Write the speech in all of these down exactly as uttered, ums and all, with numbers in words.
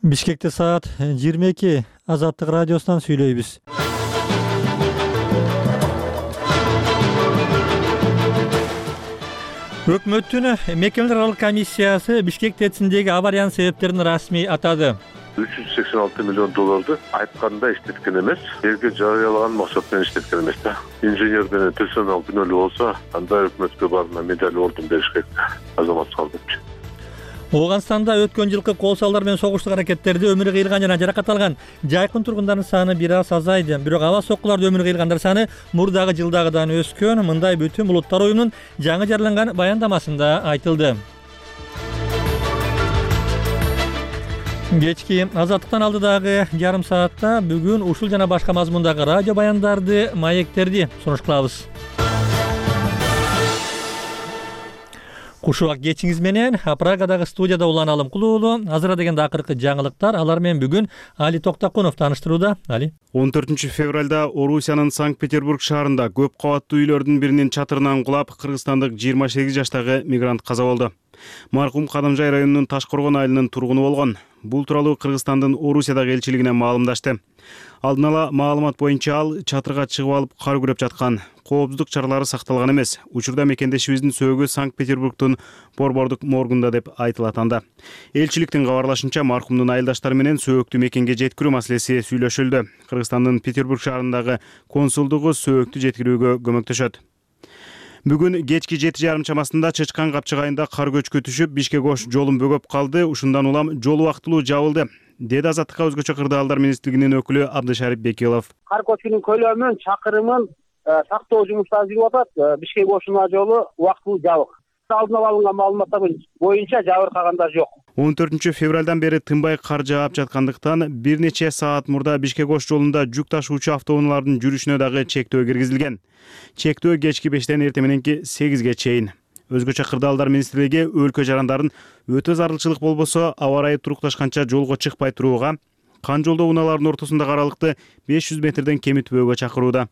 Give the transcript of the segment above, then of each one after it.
Бишкекте саат жыйырма эки. Азаттык радиосунан сүйлөйбүз. Өкмөттүн мекемелер аралык комиссиясы Бишкек ТЭЦиндеги авариянын себептерин расмий атады. үч жүз сексен алты миллион долларды айтканда иштеткен эмес, элге жарыялаган максат менен иштеткен эмес да. Инженер менен персонал күнөөлүү болсо, анда өкмөткө барына медаль ордун беришке азамат салдыпчы. Ооганстанда өткөн жылкы кол салдар менен согуштук аракеттерде өмүрү кыйылган жана жаракат алган жайкын тургундардын саны бир аз азайды. Бирок аба соккуларда өмүрү кыйылгандар саны мурдагы жылдагыдан өскөн. Мындай Бүтүн улуттар уюмунун жаңы жарыяланган баяндамасында айтылды. Кечки Азаттыктан алдыдагы жарым саатта бүгүн ушул жана башка мазмундагы радио баяндарды, маектерди сунуш кылабыз. Кушубак кечиңиз менен Прагадагы студияда Улан Алымкулуулу. Азыр дегенде акыркы жаңылыктар, алар менен бүгүн Али Токтакунов таныштырууда. Али. он төртүнчү февралда Орусиянын Санкт-Петербург шаарында көп кабаттуу үйлөрдүн биринин чатырынан кулап, кыргызстандык жыйырма сегиз жаштагы мигрант каза болду. Маркум Кадамжай районунун Ташкоргон айылынын тургуну болгон. Бул тууралуу Кыргызстандын Орусиядагы элчилигине маалымдашты. Алдын ала маалымат боюнча ал чатырга чыгып алып кар күрөп жаткан. Коопсуздук чаралары сакталган эмес. Учурда мекендешибиздин сөөгү Санкт-Петербургдун Борбордук моргунда деп айтылат анда. Элчиликтин кабарлашынча, маркумдун айылдаштары менен сөөктү мекенге жеткирүү маселеси сүйлөшүлдү. Кыргызстандын Петербург шаарындагы консулдугу сөөктү жеткирүүгө көмөктөшөт. Бүгүн кечки жети жарым чамасында Чычкан капчыгайында кар көчкү түшүп, Бишкек-Ош жолун бөгөп калды. Ушундан улам жол убактылуу жабылды, деди Азаттыкка өзгөчө кырдаалдар министрлигинин өкүлү Абдышарип Бекилов. Кар көчкүнүн көлөмүн, чакырымын сактоо жумуштары жүрүп атат. Бишкек-Ош жолу убактылуу жабык. Алдын ала алынган маалыматтар боюнча жабыркагандар жок. он төртүнчү февралдан бери тынбай кар жаап жаткандыктан бир нече саат мурда Бишкек-Ош жолунда жүк ташуучу автоунаалардын жүрүшүнө дагы чектөө киргизилген. Чектөө кечки бештен эртең мененки сегизге чейин. Өзгөчө кырдаалдар министрлиги өлкө жарандарын өтө зарылчылык болбосо аба ырайы турукташканча жолго чыкпай турууга, кан жолдоо унааларынын ортосундагы аралыкты беш жүз метрден кемитпөөгө чакырууда.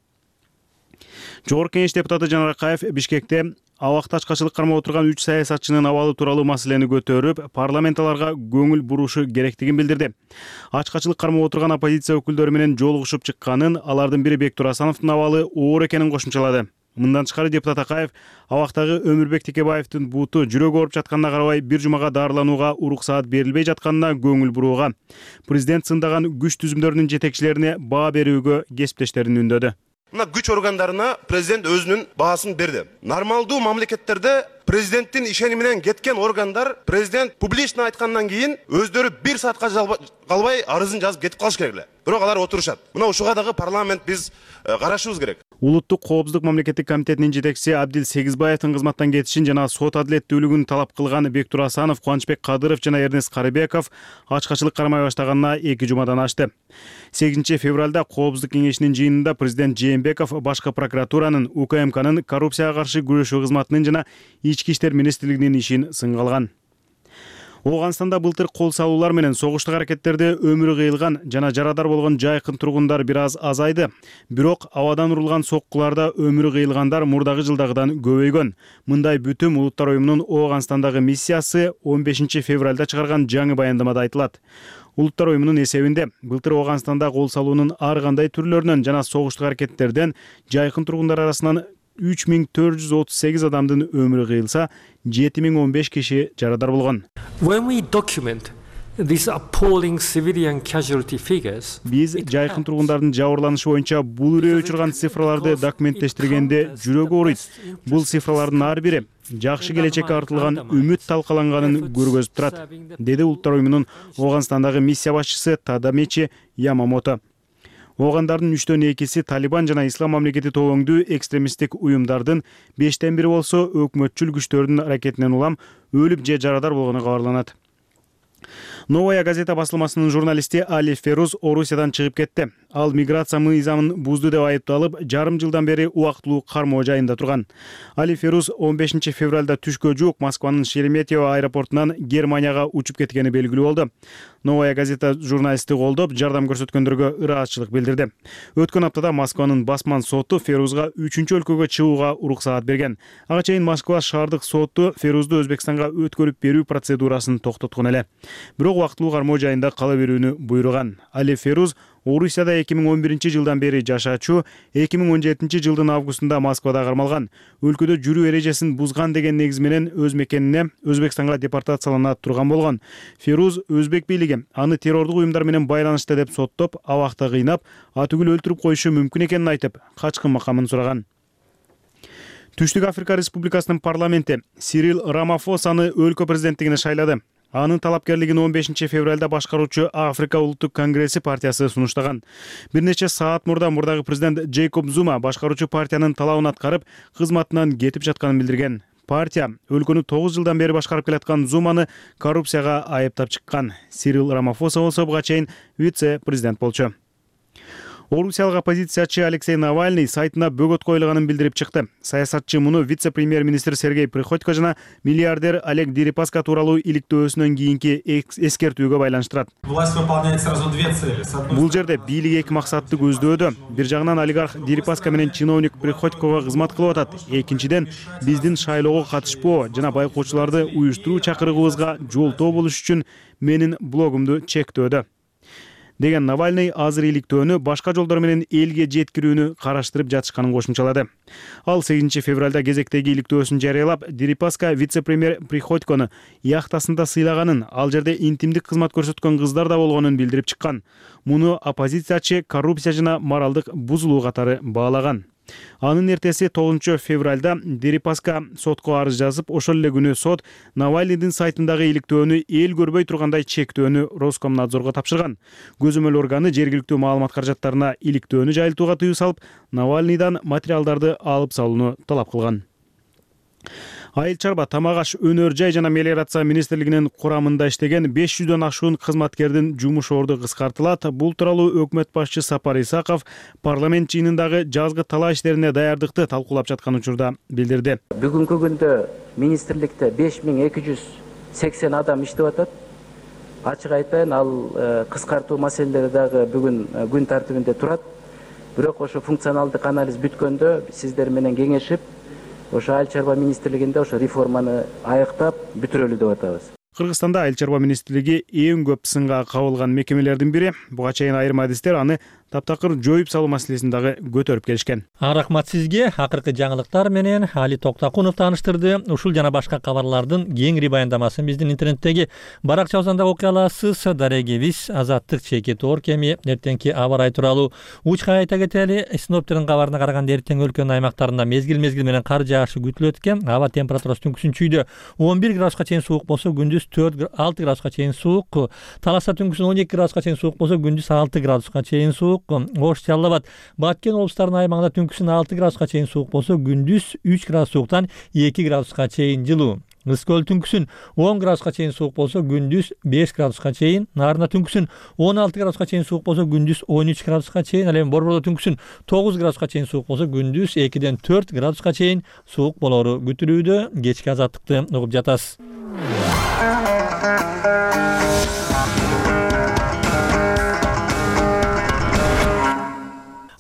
Жогорку Кеңеш депутаты Жанар Акаев Бишкекте абакта ачкачылык кармап отурган үч саясатчынын абалы тууралуу маселени көтөрүп, парламент аларга көңүл бурушу керектигин билдирди. Ачкачылык кармап отурган оппозиция өкүлдөрү менен жолугушуп чыкканын, алардын бири Бектур Асановдун абалы оор экенин кошумчалады. Мындан тышкары депутат Акаев абактагы Өмүрбек Текебаевдин буту жүрөгү ооруп жатканына карабай бир жумага дарыланууга уруксаат берилбей жатканына көңүл бурууга, президент сындаган күч түзүмдөрүнүн жетекчилерине баа берүүгө кесиптештерин үндөдү. Мына күч органдарына президент өзүнүн баасын берди. Нормалдуу мамлекеттерде президенттин ишени менен кеткен органдар президент публично айткандан кийин өздөрү бир саатка калбай арызын жазып кетип калыш керек эле. Бирок алар отурушат. Мына ушуга дагы парламент биз карашыбыз керек. Улуттук коопсуздук мамлекеттик комитетинин жетекчиси Абдил Сегизбаевдин кызматтан кетишин жана сот адилеттүүлүгүн талап кылган Бектур Асанов, Кубанычбек Кадыров жана Эрнест Карыбеков ачкачылык кармай баштаганына эки жумадан ашты. сегизинчи февралда Коопсуздук кеңешинин жыйынында президент Жээнбеков башкы прокуратуранын, УКМКнын коррупцияга каршы күрөшүү кызматынын жана Ички иштер министрлигинин ишин сынга алган. Ооганстанда былтыр кол салуулар менен согуштук аракеттерде өмүрү кыйылган жана жарадар болгон жайкын тургундар бир аз азайды. Бирок абадан урулган соккуларда өмүрү кыйылгандар мурдагы жылдагыдан көбөйгөн. Мындай Бүтүн улуттар уюмунун Ооганстандагы миссиясы он бешинчи февралда чыгарган жаңы баяндамада айтылат. Улуттар уюмунун эсебинде былтыр Ооганстанда кол салуунун ар кандай түрлөрүнөн жана согуштук аракеттерден жайкын тургундар арасынан үч миң төрт жүз отуз сегиз адамдын өмүрү кыйылса, жети миң он беш киши жарадар болгон. When we document these appalling civilian casualty figures, биз жайкын тургундардын жабырланышы боюнча бул үрөө учурган цифраларды документтештиргенде жүрөгү ооруйт. Бул цифралардын ар бири жакшы келечекке артылган үмүт талкаланганын көргөзүп турат, деди улуттар уюмунун Ооганстандагы миссия башчысы Тадамичи Ямамото. Оогандардын үчтөн экиси Талибан жана Ислам мамлекети тобоңдуу экстремисттик уюмдардын, бештен бири болсо өкмөтчүл күчтөрдүн аракетинен улам өлүп же жарадар болгону кабарланат. Новая газета басылмасынын журналисти Али Феруз Орусиядан чыгып кетти. Ал миграция мыйзамын бузду деп айыпталып, жарым жылдан бери убактылуу кармоо жайында турган. Али Феруз он бешинчи февралда түшкө жуук Москванын Шереметьево аэропортунан Германияга учуп кеткени белгилүү болду. Новая газета журналистти колдоп, жардам көрсөткөндөргө ыраазычылык билдирди. Өткөн аптада Москванын басман соту Ферузга үчүнчү өлкөгө чыгууга уруксаат берген. Ага чейин Москва шаардык соту Ферузду Өзбекстанга өткөрүп берүү процедурасын токтоткон эле. Бирок убактылуу кармоо жайында кала берүүнү буйруган. Али Феруз Орусияда эки миң он биринчи жылдан бери жашаачу, эки миң он жетинчи жылдын августунда Москвада кармалган. Өлкөдө жүрүү эрежесин бузган деген негиз менен өз мекенине Өзбекстанга депортациялана турган болгон. Феруз өзбек бийлиги аны террордук уюмдар менен байланышта деп соттоп, абакта кыйнап, атүгүл өлтүрүп коюшу мүмкүн экенин айтып, качкын макамын сураган. Түштүк Африка Республикасынын парламенти Сирил Рамафосаны өлкө президенттигине шайлады. Анын талапкерлигин он бешинчи февралда башкаруучу Африка Улуттук конгресси партиясы сунуштаган. Бир нече саат мурда мурдагы президент Джейкоб Зума башкаруучу партиянын талабын аткарып, кызматынан кетип жатканын билдирген. Партия өлкөнү тогуз жылдан бери башкарып келаткан Зуманы коррупцияга айыптап чыккан. Сирил Рамафоса болсо буга чейин вице-президент болчу. Орусиялык оппозициячы Алексей Навальный сайтына бөгөт коюлганын билдирип чыкты. Саясатчы муну вице-премьер-министр Сергей Приходько жана миллиардер Олег Дерипаска тууралуу иликтөөсүнөн кийинки эскертүүгө байланыштырат. Власть выполняет сразу две цели. Бул жерде бийлик эки максатты көздөөдө. Бир жагынан олигарх Дерипаска менен чиновник Приходького кызмат кылып атат. Экинчиден, биздин шайлоого катышпоо жана байкоочуларды уюштуруу чакырыгыбызга жолтоо болуш үчүн менин блогумду чектөөдө деген Навальный азыр иликтөөнү башка жолдор менен элге жеткирүүнү караштырып жатышканын кошумчалады. Ал сегизинчи февралда кезектеги иликтөөсүн жарыялап, Дерипаска вице-премьер Приходькону яхтасында сыйлаганын, ал жерде интимдик кызмат көрсөткөн кыздар да болгонун билдирип чыккан. Муну оппозициячы коррупция жана моралдык бузулуу катары баалаган. Анын эртеси тогузунчу февралда Дерипаска сотко арыз жазып, ошол эле күнү сот Навальныйдын сайтындагы иликтөөнү эл көрбөй тургандай чектөөнү Роскомнадзорго тапшырган. Көзөмөл органы жергиликтүү маалымат каражаттарына иликтөөнү жайылтууга тыюу салып, Навальныйдан материалдарды алып салууну талап кылган. Айыл чарба, тамак аш, өнөр жай жана мелиорация министрлигинин курамында иштеген беш жүздөн ашуун кызматкердин жумуш орду кыскартылат. Бул тууралуу өкмөт башчы Сапар Исаков парламент жыйынындагы жазгы талаа иштерине даярдыкты талкуулап жаткан учурда билдирди. Бүгүнкү күндө министрликте беш миң эки жүз сексен адам иштеп атат. Ачык айтайын, ал кыскартуу маселелери дагы бүгүн күн тартибинде турат. Бирок ошо функционалдык анализ бүткөндө сиздер менен кеңешип, ошо айыл чарба министрлигинде ошо реформаны аяктап бүтүрөлү деп атабыз. Кыргызстанда айыл чарба министрлиги эң көп сынга кабылган мекемелердин бири. Буга чейин айрым адистер аны таптакыр жоюп салуу маселесин дагы көтөрүп келишкен. Рахмат сизге. Акыркы жаңылыктар менен Али Токтакунов тааныштырды. Ушул жана башка кабарлардын кеңири баяндамасын биздин интернеттеги баракчабыздан окуй аласыз. Дарегебиз Азаттык чекит оор кеми эртеңки аба ырайы тууралуу учка айта кетели. Синоптиктердин кабарына караганда эртең өлкөнүн аймактарында мезгил-мезгил менен кар жаашы күтүлөт экен. Аба температурасы түнкүсүн чүйдө он бир градуска чейин суук болсо, күндүз төрт алты градуска чейин суук. Таласта түнкүсүн он эки градуска чейин суук болсо, күндүз алты градуска чейин суук. Ош, Жалал Абад, Баткен облустарынын аймагында түнкүсүн алты градуска чейин суук болсо, күндүз үч градус сууктан эки градуска чейин жылуу. Ызкөл түнкүсүн он градуска чейин суук болсо, күндүз беш градуска чейин. Нарында түнкүсүн он алты градуска чейин суук болсо, күндүз он үч градуска чейин. Ал эми Борбордо түнкүсүн тогуз градуска чейин суук болсо, күндүз экиден төрт градуска чейин суук болору күтүлүүдө. Кечки азаттыкты угуп жатасыз.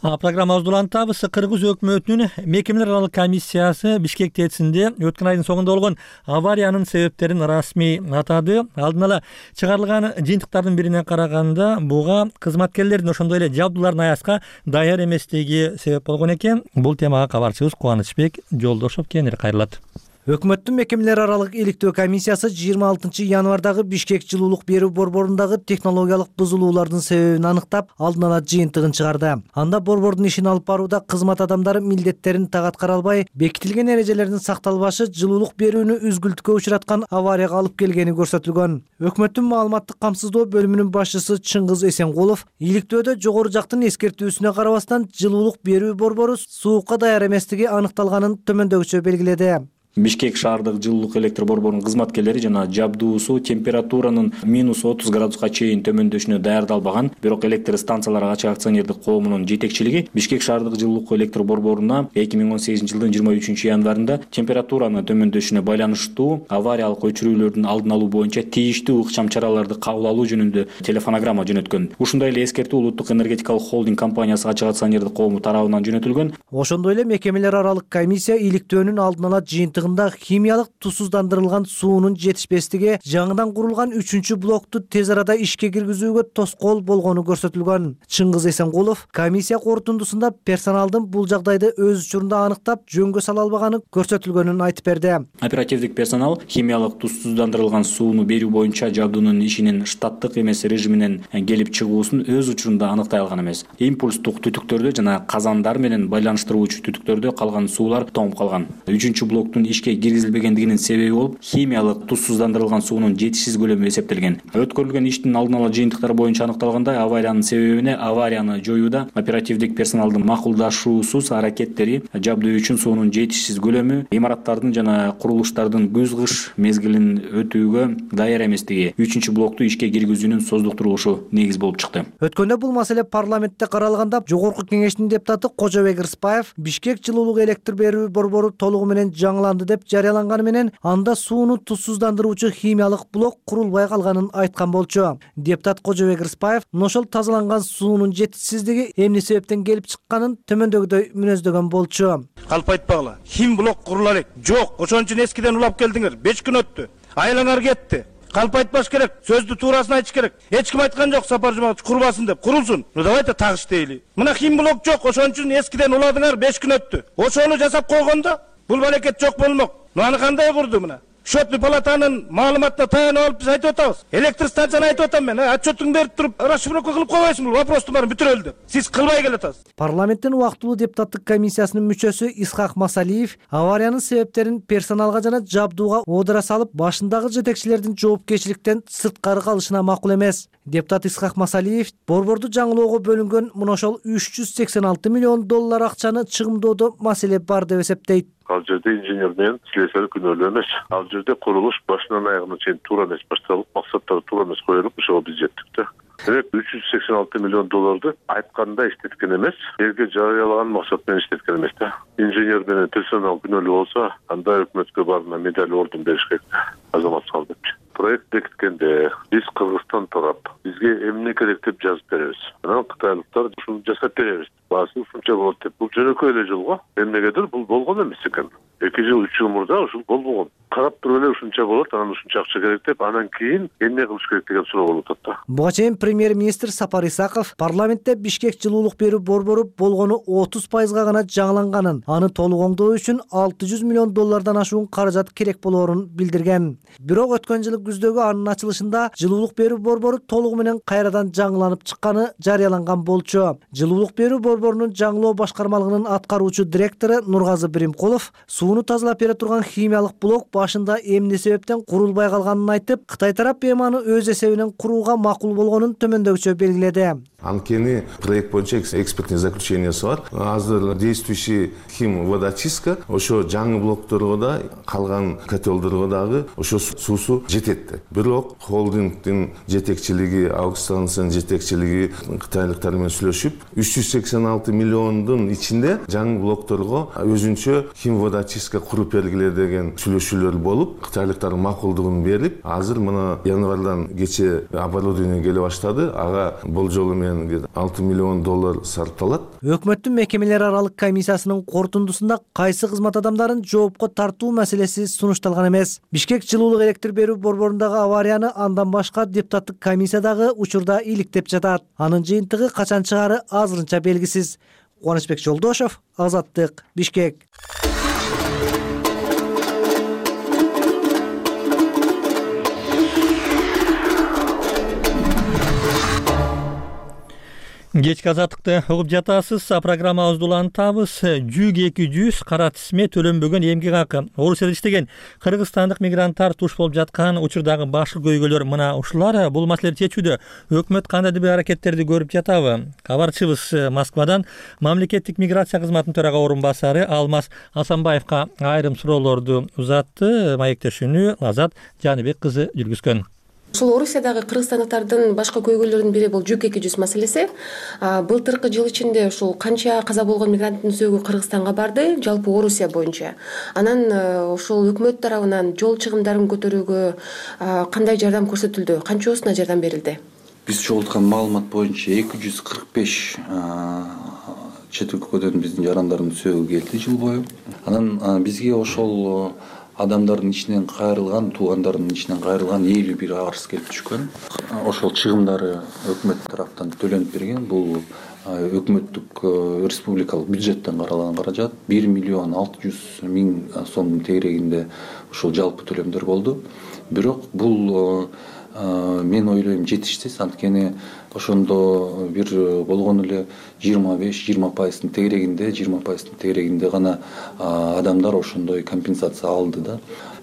Программабызды улантабыз. Кыргыз өкмөтүнүн мекемелер аралык комиссиясы Бишкек ТЭЦинде өткөн айдын соңунда болгон авариянын себептерин расмий атады. Алдын ала чыгарылган жыйынтыктардын бирине караганда, буга кызматкерлердин ошондой эле жабдуулардын аяска даяр эместиги себеп болгон экен. Бул темага кабарчыбыз Кубанычбек Жолдошов кеңири кайрылат. Өкмөттүн мекемелер аралык иликтөө комиссиясы жыйырма алтынчы январдагы Бишкек жылуулук берүү борборундагы технологиялык бузулуулардын себебин аныктап, алдын ала жыйынтыгын чыгарды. Анда борбордун ишин алып барууда кызмат адамдары милдеттерин так аткара албай, бекитилген эрежелердин сакталбашы жылуулук берүүнү үзгүлтүккө учураткан аварияга алып келгени көрсөтүлгөн. Өкмөттүн маалыматтык камсыздоо бөлүмүнүн башчысы Чыңгыз Эсенкулов иликтөөдө жогору жактын эскертүүсүнө карабастан жылуулук берүү борбору суукка даяр эместиги аныкталганын төмөндөгүчө белгиледи. Бишкек шаардык жылуулук электр борборунун кызматкерлери жана жабдуусу температуранын минус отуз градуска чейин төмөндөшүнө даярдалбаган, бирок электр станциялары ачык акционердик коомунун жетекчилиги Бишкек шаардык жылуулук электр борборуна эки миң он сегизинчи жылдын жыйырма үчүнчү январында температуранын төмөндөшүнө байланыштуу авариялык өчүрүүлөрдүн алдын алуу боюнча тийиштүү ыкчам чараларды кабыл алуу жөнүндө телефонограмма жөнөткөн. Ушундай эле эскертүү Улуттук энергетикалык холдинг компаниясы ачык акционердик коому тарабынан жөнөтүлгөн. Ошондой эле мекемелер аралык комиссия иликтөөнүн алдын ала жыйынтыгында химиялык тусуздандырылган суунун жетишпестиги жаңыдан курулган үчүнчү блокту тез арада ишке киргизүүгө тоскоол болгону көрсөтүлгөн. Чыңгыз Эсенкулов комиссия корутундусунда персоналдын бул жагдайды өз учурунда аныктап жөнгө сала албаганы көрсөтүлгөнүн айтып берди. Оперативдик персонал химиялык тусуздандырылган сууну берүү боюнча жабдуунун ишинин штаттык эмес режиминен келип чыгуусун өз учурунда аныктай алган эмес. Импульстук түтүктөрдө жана казандар менен байланыштыруучу түтүктөрдө калган суулар тоңуп калган. Үчүнчү блоктун ишке киргизилбегендигинин себеби болуп химиялык тусуздандырылган суунун жетишсиз көлөмү эсептелген. Өткөрүлгөн иштин алдын ала жыйынтыктары боюнча аныкталгандай, авариянын себебине аварияны жоюуда оперативдик персоналдын макулдашуусуз аракеттери, жабдуу үчүн суунун жетишсиз көлөмү, имараттардын жана курулуштардын күз-кыш мезгилин өтүүгө даяр эместиги үчүнчү блокту ишке киргизүүнүн создуктурулушу негиз болуп чыкты. Өткөндө бул маселе парламентте каралганда Жогорку Кеңештин депутаты Кожобек Рыспаев Бишкек жылуулук электр берүү борбору толугу менен жаңыланды деп жарыяланганы менен анда сууну тусуздандыруучу химиялык блок курулбай калганын айткан болчу. Депутат Кожобек Рыспаев ошол тазаланган суунун жетишсиздиги эмне себептен келип чыкканын төмөндөгүдөй мүнөздөгөн болчу. Калп айтпагыла, хим блок курула элек. Жок, ошон үчүн эскиден улап келдиңер. беш күн өттү. Айлаңар кетти. Калп айтпаш керек, сөздү туурасын айтыш керек. Эч ким айткан жок Сапар Жуматович курбасын деп. Курулсун. Ну давайте так иштейли. Мына хим блок жок, ошон үчүн эскиден уладыңар, беш күн өттү. Ошону жасап койгондо бул балекет жок болмок. Ну аны кандай курду мына? Счетный палатанын маалыматына таянып алып биз айтып атабыз. Электр станцияны айтып атам мен. Отчетуңду берип туруп, расшифровка кылып койбойсуңбу? Вопросту баарын бүтүрөлү деп. Сиз кылбай келатасыз. Парламенттин убактылуу депутаттык комиссиясынын мүчөсү Исхак Масалиев авариянын себептерин персоналга жана жабдууга оодура салып, башындагы жетекчилердин жоопкерчиликтен сырткары калышына макул эмес. Депутат Исхак Масалиев борборду жаңылоого бөлүнгөн мына ошол үч жүз сексен алты миллион доллар акчаны чыгымдоодо маселе бар деп эсептейт. Ал жерде инженер менен слесарь күнөөлүү эмес. Ал жерде курулуш башынан аягына чейин туура эмес башталып, максаттары туура эмес коюлуп, ошого биз жеттик да. Демек үч жүз сексен алты миллион долларды айтканда иштеткен эмес, элге жарыялаган максат менен иштеткен эмес да. Инженер менен персонал күнөөлүү болсо, анда өкмөткө барына медаль орден бериш керек азамат салып депчи. Проект бекиткенде биз Кыргызстан тарап бизге эмне керек деп жазып беребиз. Анан кытайлыктар ушуну жасап беребиз. Баасы ушунча болот деп. Бул жөнөкөй эле жол го. Эмнегедир бул болгон эмес экен. эки жыл, үч жыл мурда ушул болбогон. Карап туруп эле ушунча болот, анан ушунча акча керек деп, анан кийин эмне кылыш керек деген суроо болуп атат да. Буга чейин премьер-министр Сапар Исаков парламентте Бишкек жылуулук берүү борбору болгону отуз пайызга гана жаңыланганын, аны толук оңдоо үчүн алты жүз миллион доллардан ашуун каражат керек болоорун билдирген. Бирок өткөн жылы күздөгү анын ачылышында жылуулук берүү борбору толугу менен кайрадан жаңыланып чыкканы жарыяланган болчу. Жылуулук берүү борборунун жаңылоо башкармалыгынын аткаруучу директору Нургазы Биримкулов сууну тазалап бере турган химиялык блок башында эмне себептен курулбай калганын айтып, Кытай тарап беманы өз эсебинен курууга макул болгонун төмөндөгүчө белгиледи. Анткени проект боюнча экспертный заключениясы бар. Азыр действующий хим водочистка ошо жаңы блокторго да, калган котелдорго дагы ошо суусу жетет. Бирок холдингдин жетекчилиги, аукциондун жетекчилиги кытайлыктар менен сүйлөшүп, үч жүз сексен алты миллиондун ичинде жаңы блокторго өзүнчө хим водочистка куруп бергиле деген сүйлөшүүлөр болуп, кытайлыктардын макулдугун берип, азыр мына январдан кече оборудование келе баштады. Ага болжолу менен алты миллион доллар сарпталат. Өкмөттүн мекемелер аралык комиссиясынын корутундусунда кайсы кызмат адамдарын жоопко тартуу маселеси сунушталган эмес. Бишкек жылуулук электр берүү борборундагы аварияны андан башка депутаттык комиссиядагы учурда иликтеп жатат. Анын жыйынтыгы качан чыгары азырынча белгисиз. Кубанычбек Жолдошов, Азаттык, Бишкек. Кечки азаттыкты угуп жатасыз. Программабызды улантабыз. жүз эки жүз кара тизме төлөнбөгөн эмгек акы. Орусияда иштеген кыргызстандык мигранттар туш болуп жаткан учурдагы башкы көйгөйлөр мына ушулар. Бул маселени чечүүдө өкмөт кандайдыр бир аракеттерди көрүп жатабы? Кабарчыбыз Москвадан мамлекеттик миграция кызматынын төрага орун басары Алмаз Асанбаевка айрым суроолорду узатты. Маектешүүнү Азат Жаныбек кызы жүргүзгөн. Ушул Орусиядагы кыргызстандыктардын башкы көйгөйлөрүнүн бири бул жүз эки жүз маселеси. Былтыркы жыл ичинде ушул канча каза болгон мигранттын сөөгү Кыргызстанга барды, жалпы Орусия боюнча. Анан ушул өкмөт тарабынан жол чыгымдарын көтөрүүгө кандай жардам көрсөтүлдү? Канчосуна жардам берилди? Биз чогулткан маалымат боюнча эки жүз кырк беш чет өлкөдөн биздин жарандардын сөөгү келди жыл бою. Анан бизге ошол адамдардын ичинен кайрылган, туугандардын ичинен кайрылган элүү бир арыз келип түшкөн. Ошол чыгымдары өкмөт тараптан төлөнүп берген. Бул өкмөттүк республикалык бюджеттен каралган каражат бир миллион алты жүз миң сомдун тегерегинде ушул жалпы төлөмдөр болду. Бирок бул мен ойлойм жетишсиз, анткени ошондо бир болгону эле жыйырма беш жыйырма пайыздын тегерегинде, жыйырма пайыздын тегерегинде гана адамдар ошондой компенсация алды да.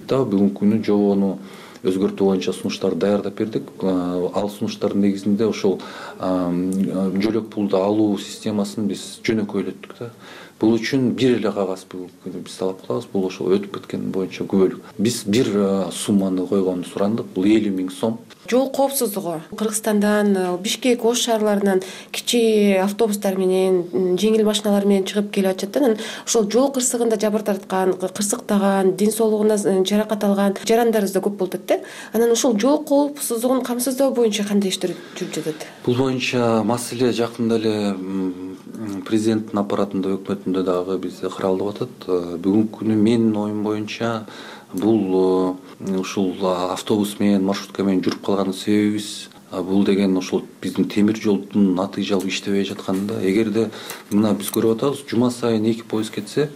Да бүгүнкү күнү жобону өзгөртүү боюнча сунуштарды даярдап бердик. Ал сунуштардын негизинде ошол жөлөк пулду алуу системасын биз жөнөкөйлөттүк да. Бул үчүн бир эле кагаз биз талап кылабыз. Бул ошол өтүп кеткен боюнча күбөлүк. Биз бир сумманы койгонду сурандык. Бул элүү миң сом. Жол коопсуздугу Кыргызстандан, Бишкек, Ош шаарларынан кичи автобустар менен, жеңил машиналар менен чыгып келип атышат. Анан ошол жол кырсыгында жабыр тарткан, кырсыктаган, ден соолугуна жаракат алган жарандарыбыз да көп болуп атат да. Анан ошол жол коопсуздугун камсыздоо боюнча кандай иштер жүрүп жатат? Бул боюнча маселе жакында эле президенттин аппаратында, өкмөтүндө дагы бизде каралып атат. Бүгүнкү күнү менин оюм боюнча бул ушул автобус менен, маршрутка менен жүрүп калган себебибиз бул деген ошол биздин темир жолдун натыйжалуу иштебей жатканында. Эгерде мына биз көрүп атабыз, жума сайын эки поезд кетсе,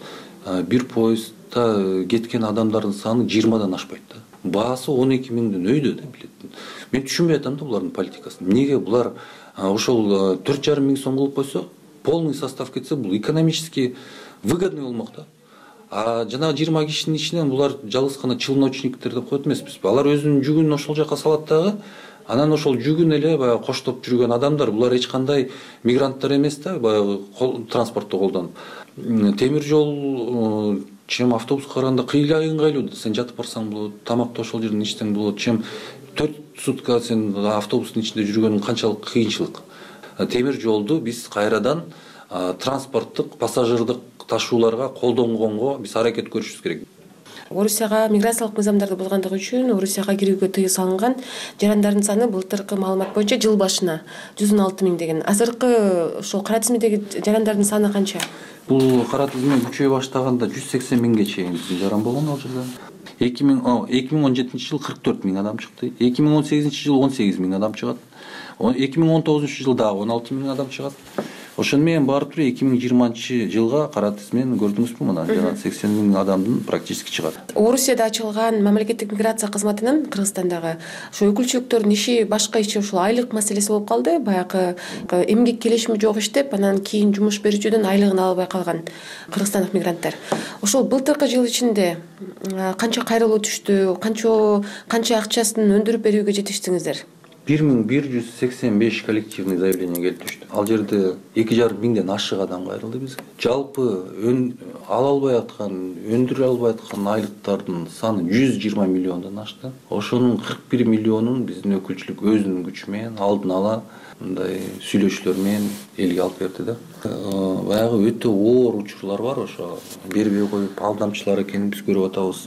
бир поездда кеткен адамдардын саны жыйырмадан ашпайт да. Баасы он эки миңдин өйдө да билет. Мен түшүнбөй атам да булардын политикасын. Эмнеге булар ошол төрт жарым миң сом кылып койсо, полный состав кетсе, бул экономически выгодный болмок да. А жанагы жыйырма кишинин ичинен булар жалгыз гана челночниктер деп коет эмеспизби? Алар өзүнүн жүгүн ошол жака салат дагы, анан ошол жүгүн эле баягы коштоп жүргөн адамдар, булар эч кандай мигранттар эмес да, баягы транспортто колдонуп. Темир жол чем автобуска караганда кыйла ыңгайлуу. Сен жатып барсаң болот, тамакты ошол жерден ичсең болот. Чем төрт сутка сен автобустун ичинде жүргөнүң канчалык кыйынчылык. Темир жолду биз кайрадан транспорттук, пассажирдик ташууларга колдонгонго биз аракет көрүшүбүз керек. Орусияга миграциялык мыйзамдарды болгондугу үчүн Орусияга кирүүгө тыюу салынган жарандардын саны былтыркы маалымат боюнча жыл башына жүз он алты миң деген. Азыркы ошол кара тизмедеги жарандардын саны канча? Бул кара тизме күчөй баштаганда жүз сексен миңге чейин биздин жаран болгон ал жерде. эки миң он жетинчи жыл кырк төрт миң адам чыкты. эки миң он сегизинчи жыл он сегиз миң адам чыгат. эки миң он тогузунчу жыл дагы он алты миң адам чыгат. Ошону менен баары туруп эки миң жыйырманчы жылга кара тизмени көрдүңүзбү? Мына жана сексен миң адамдын практически чыгат. Орусияда ачылган мамлекеттик миграция кызматынын Кыргызстандагы ошо өкүлчүлүктөрдүн иши башка иши ушул айлык маселеси болуп калды. Баягы эмгек келишими жок иштеп, анан кийин жумуш берүүчүдөн айлыгын ала албай калган кыргызстандык мигранттар. Ошол былтыркы жыл ичинде канча кайрылуу түштү, канча канча акчасын өндүрүп берүүгө жетиштиңиздер? бир миң бир жүз сексен беш коллективный заявление келип түштү. Ал жерде эки жарым миңден ашык адам кайрылды бизге. Жалпы ала албай аткан, өндүрө албай аткан айлыктардын саны жүз жыйырма миллиондон ашты. Ошонун кырк бир миллионун биздин өкүлчүлүк өзүнүн күчү менен алдын ала мындай сүйлөшүүлөр менен элге алып берди да. Баягы өтө оор учурлар бар, ошо бербей коюп алдамчылар экенин биз көрүп атабыз.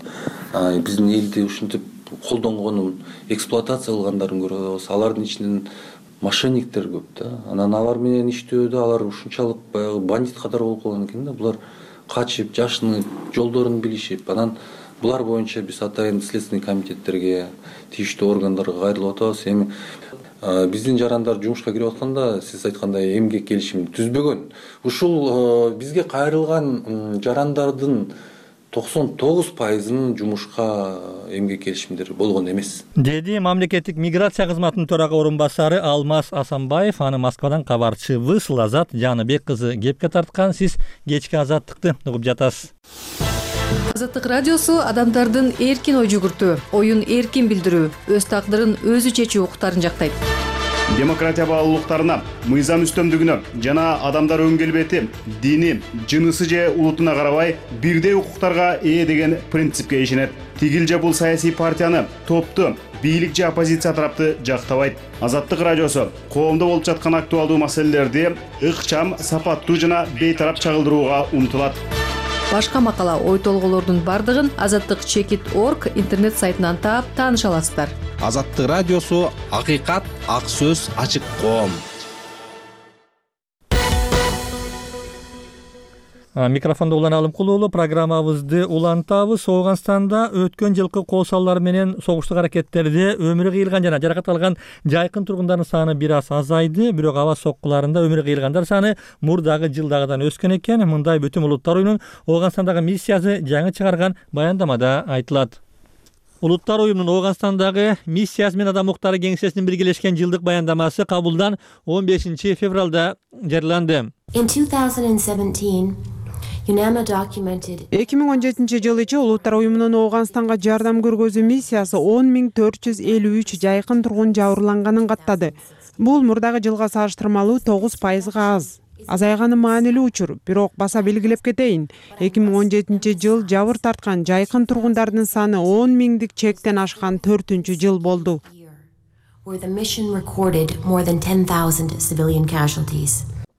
Биздин элди ушинтип колдонгонун, эксплуатация кылгандарын көрүп атабыз. Алардын ичинен мошенниктер көп да. Анан алар менен иштөөдө алар ушунчалык баягы бандит катары болуп калган экен да. Булар качып, жашынып, жолдорун билишип, анан булар боюнча биз атайын следственный комитеттерге, тийиштүү органдарга кайрылып атабыз. Эми биздин жарандар жумушка кирип атканда сиз айткандай эмгек келишимин түзбөгөн. Ушул бизге кайрылган жарандардын токсон тогуз пайызынын жумушка эмгек келишимдери болгон эмес, деди мамлекеттик миграция кызматынын төрага орун басары Алмаз Асанбаев. Аны Москвадан кабарчыбыз Лазат Жаныбек кызы кепке тарткан. Сиз кечки Азаттыкты угуп жатасыз. Азаттык радиосу адамдардын эркин ой жүгүртүү, оюн эркин билдирүү, өз тагдырын өзү чечүү укуктарын жактайт. Демократия баалуулуктарына, мыйзам үстөмдүгүнө жана адамдар өн келбети, дини, жынысы же улутуна карабай бирдей укуктарга ээ деген принципке ишенет. Тигил же бул саясий партияны, топту, бийлик же оппозиция тарапты жактабайт. Азаттык радиосу коомдо болуп жаткан актуалдуу маселелерди ыкчам, сапаттуу жана бейтарап чагылдырууга умтулат. Башка макала, ой толгоолордун бардыгын азаттык чекит точка орг интернет сайтынан таап тааныша аласыздар. Азаттык радиосу акыйкат, ак сөз, ачык коом. Микрофондо Улан Алымкул уулу, программабызды улантабыз. Ооганстанда өткөн жылкы кол салуулар менен согуштук аракеттерде өмүрү кыйылган жана жаракат алган жайкын тургундардын саны бир аз азайды. Бирок аба соккуларында өмүрү кыйылгандар саны мурдагы жылдагыдан өскөн экен. Мындай Бүтүн Улуттар уюмунун Ооганстандагы миссиясы жаңы чыгарган баяндамада айтылат. Улуттар уюмунун Ооганстандагы миссиясы менен Адам укуктары кеңсесинин биргелешкен жылдык баяндамасы кабулдан он бешинчи февралда жарыяланды. эки миң он жетинчи жылы ичи Улуттар уюмунун Ооганстанга жардам көргөзүү миссиясы он миң төрт жүз элүү үч жайкын тургун жабырланганын каттады. Бул мурдагы жылга салыштырмалуу тогуз пайызга аз. Азайганы маанилүү учур, бирок баса белгилеп кетейин. эки миң он жетинчи жыл жабыр тарткан жайкын тургундардын саны он миңдик чектен ашкан төртүнчү жыл болду.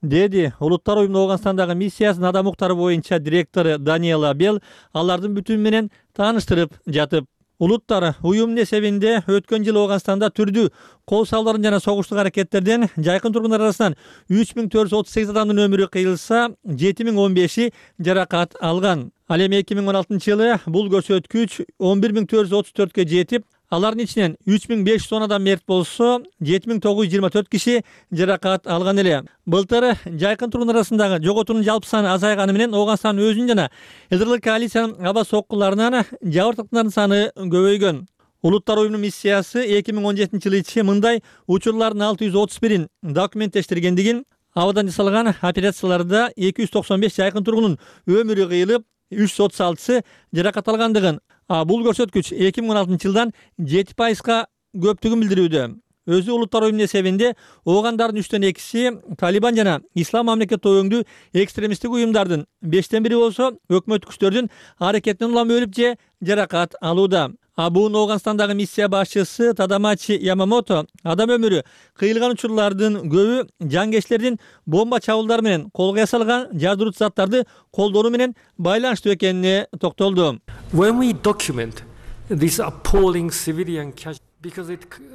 Деди Улуттар уюмунун Ооганстандагы миссиясынын адам укуктары боюнча директору Даниэла Бел алардын бүтүнү менен тааныштырып жатып. Улуттар уюмунун эсебинде өткөн жылы Ооганстанда түрдүү кол салуулардын жана согуштук аракеттерден жайкын тургундар арасынан үч миң төрт жүз отуз сегиз адамдын өмүрү кыйылса, жети миң он беши жаракат алган. Ал эми эки миң он алтынчы жылы бул көрсөткүч он бир миң төрт жүз отуз төрткө жетип, алардын ичинен үч миң беш жүз он адам мерт болсо, жети миң тогуз жүз жыйырма төрт киши жаракат алган эле. Былтыр жайкын тургундар арасындагы жоготуунун жалпы саны азайганы менен Ооганстан өзүнүн жана ЛДР коалициянын аба соккуларынан жабыр тарткандардын саны көбөйгөн. Улуттар уюмунун миссиясы эки миң он жетинчи жылы ичи мындай учурлардын алты жүз отуз бирин документтештиргендигин, абадан жасалган операцияларда эки жүз токсон беш жайкын тургундун өмүрү кыйылып, үч жүз отуз алтысы жаракат алгандыгын, а бул көрсөткүч эки миң он алтынчы жылдан жети пайызга көптүгүн билдирүүдө. Өзү Улуттар уюмунун эсебинде оогандардын үчтөн экиси Талибан жана Ислам мамлекети өңдүү экстремисттик уюмдардын, бештен бири болсо өкмөттүк күчтөрдүн аракетинен улам өлүп же жаракат алууда. А бул Ооганстандагы миссия башчысы Тадамачи Ямамото адам өмүрү кыйылган учурлардын көбү жангечтердин бомба чабуулдары менен колго ясалган жардыруучу заттарды колдонуу менен байланыштуу экенине токтолду. When we document this appalling civilian casualty,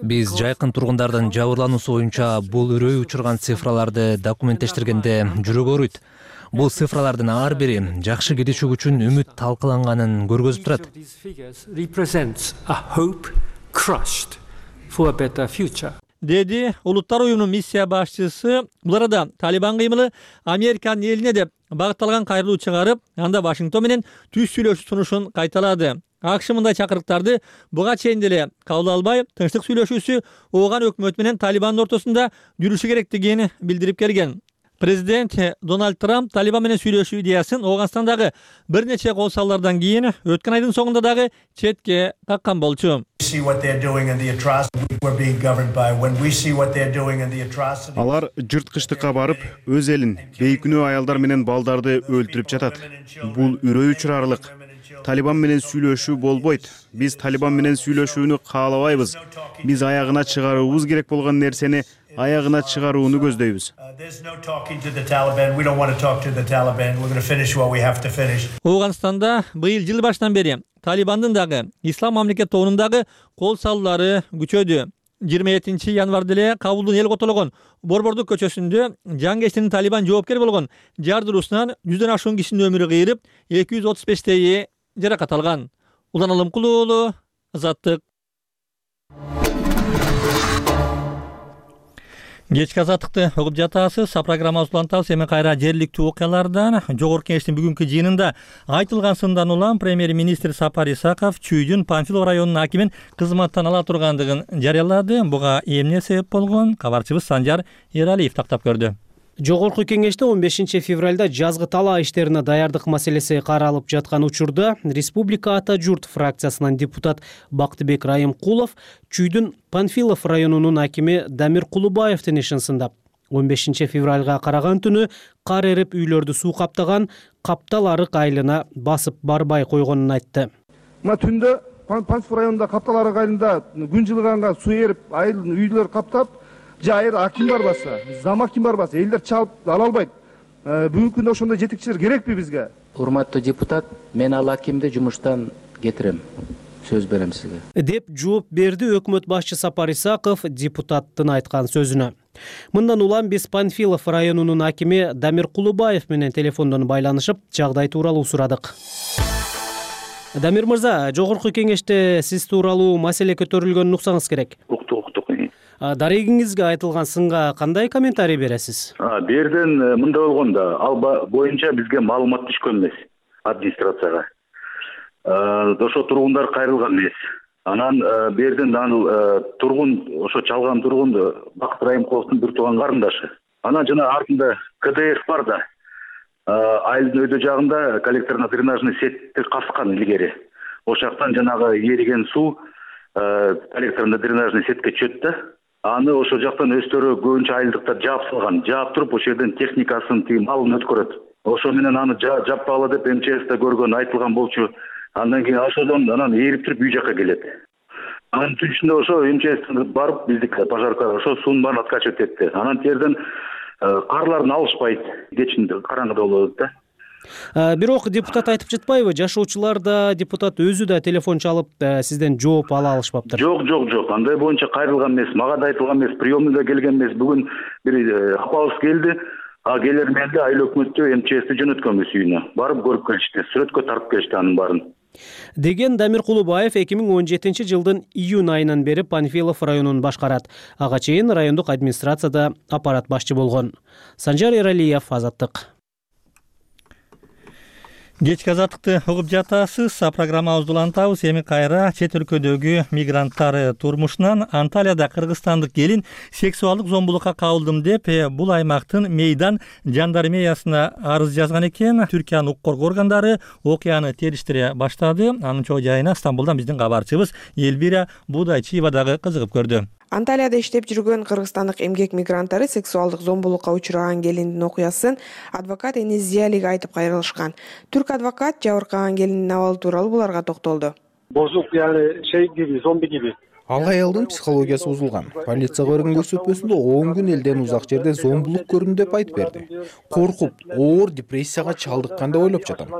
биз жайкын тургундардын жабырлануусу боюнча бул үрөй учурган цифраларды документтештиргенде жүрөк ооруйт. Бул цифралардын ар бири жакшы келечек үчүн үмүт талкаланганын көргөзүп турат. Деди Улуттар уюмунун миссия башчысы. Бул арада Талибан кыймылы Американын элине деп багытталган кайрылуу чыгарып, анда Вашингтон менен түз сүйлөшүү сунушун кайталады. АКШ мындай чакырыктарды буга чейин деле кабыл албай, тынчтык сүйлөшүүсү ооган өкмөт менен Талибандын ортосунда жүрүшү керектигин билдирип келген. Президент Дональд Трамп Талибан менен сүйлөшүү идеясын Ооганстандагы бир нече кол салуулардан кийин өткөн айдын соңунда дагы четке каккан болчу. Алар жырткычтыкка барып, өз элин, бейкүнөө аялдар менен балдарды өлтүрүп жатат. Бул үрөй учурарлык. Талибан менен сүйлөшүү болбойт. Биз Талибан менен сүйлөшүүнү каалабайбыз. Биз аягына чыгаруубуз керек болгон нерсени аягына чыгарууну көздөйбүз. Ооганстанда быйыл жыл башынан бери Талибандын дагы Ислам мамлекет тобунун дагы кол салуулары күчөдү. жыйырма экинчи январда эле Кабулдун эл котологон Борбордук көчөсүндө жангечтин Талибан жоопкер болгон жардыруусунан жүздөн ашуун кишинин өмүрү кыйылып, эки жүз отуз бештейи жаракат алган. Улан Алымкул уулу, Азаттык. Кечки азаттыкты угуп жатасыз. Программабыз улантабыз. Эми кайра жергиликтүү окуялардан. Жогорку Кеңештин бүгүнкү жыйынында айтылгансындан улам премьер-министр Сапар Исаков Чүйдүн Панфилов районунун акимин кызматтан ала тургандыгын жарыялады. Буга эмне себеп болгон? Кабарчыбыз Санжар Эралиев тактап көрдү. Жогорку Кеңеште он бешинчи февралда жазгы талаа иштерине даярдык маселеси каралып жаткан учурда Республика Ата журт фракциясынан депутат Бактыбек Райымкулов Чүйдүн Панфилов районунун акими Дамир Кулубаевдин ишин сындап, он бешинчи февралга караган түнү кар эрип үйлөрдү суу каптаган Каптал арык айылына басып барбай койгонун айтты. Мына түндө Панфилов районунда Каптал арык айылында күн жылыганга суу эрип, айыл үйлөр каптап, жайыр аким барбаса, зам аким барбаса, элдер чалып ала албайт. Бүгүнкү күндө ошондой жетекчилер керекпи бизге? Урматтуу депутат, мен ал акимди жумуштан кетирем. Сөз берем сизге. Деп жооп берди өкмөт башчы Сапар Исаков депутаттын айткан сөзүнө. Мындан улам биз Панфилов районунун акими Дамир Кулубаев менен телефондон байланышып, жагдай тууралуу сурадык. Дамир мырза, Жогорку Кеңеште сиз тууралуу маселе көтөрүлгөнүн уксаңыз керек. Дарегиңизге айтылган сынга кандай комментарий бересиз? Берден мындай болгон да, ал боюнча бизге маалымат түшкөн эмес администрацияга. Ошо тургундар кайрылган эмес. Анан берден ал тургун, ошо чалган тургун Бакыт Райымкуловдун бир тууган карындашы. Анан жана артында КДФ бар да. Айылдын өйдө жагында коллекторный дренажный сетти каскан илгери. Ошол жактан жанагы эриген суу коллекторный дренажный сетке чөт да. Аны ошол жактан өздөрү көбүнчө айылдыктар жаап салган. Жаап туруп ошол жерден техникасын тиги малын өткөрөт. Ошо менен аны жаппагыла деп эм че эсте көргөн айтылган болчу. Андан кийин ошодон анан эрип туруп үй жакка келет. Анын түнүшүндө ошо эм че эс барып биздик пожаркалар ошо суунун баарын откачивать этти. Анан терден карларын алышпайт. Кечин караңгыда болот да. Бирок депутат айтып жатпайбы, жашоочулар да, депутат өзү да телефон чалып сизден жооп ала алышпаптыр? Жок, жок, жок. Андай боюнча кайрылган эмес, мага да айтылган эмес, приемныйда келген эмес. Бүгүн бир апабыз келди, а келер менде айыл өкмөттө эм че эсти жөнөткөнбүз үйүнө. Барып көрүп келишти, сүрөткө тартып келишти анын баарын. Деген Дамир Кулубаев эки миң он жетинчи жылдын июнь айынан бери Панфилов районун башкарат. Ага чейин райондук администрацияда аппарат башчы болгон. Санжар Эралиев, Азаттык. Кечки азаттыкты угуп жатасыз. Программабызды улантабыз. Эми кайра чет өлкөдөгү мигранттар турмушунан Анталияда кыргызстандык келин сексуалдык зомбулукка кабылдым деп бул аймактын Мейдан жандармериясына арыз жазган экен. Түркиянын укук коргоо органдары окуяны териштире баштады. Анын чоо жайына Стамбулдан биздин кабарчыбыз Элбира Будайчиева дагы кызыгып көрдү. Анталияда иштеп жүргөн кыргызстандык эмгек мигранттары сексуалдык зомбулукка учураган келиндин окуясын адвокат Энис Зиялиге айтып кайрылышкан. Түрк адвокат жабыркаган келиндин абалы тууралуу буларга токтолду. Бозук, яны şey gibi, зомби gibi. Ал аялдын психологиясы бузулган. Полицияга берген көрсөтмөсүндө он күн элден узак жерден зомбулук көрдүм деп айтып берди. Коркуп, оор депрессияга чалдыккан деп ойлоп жатам.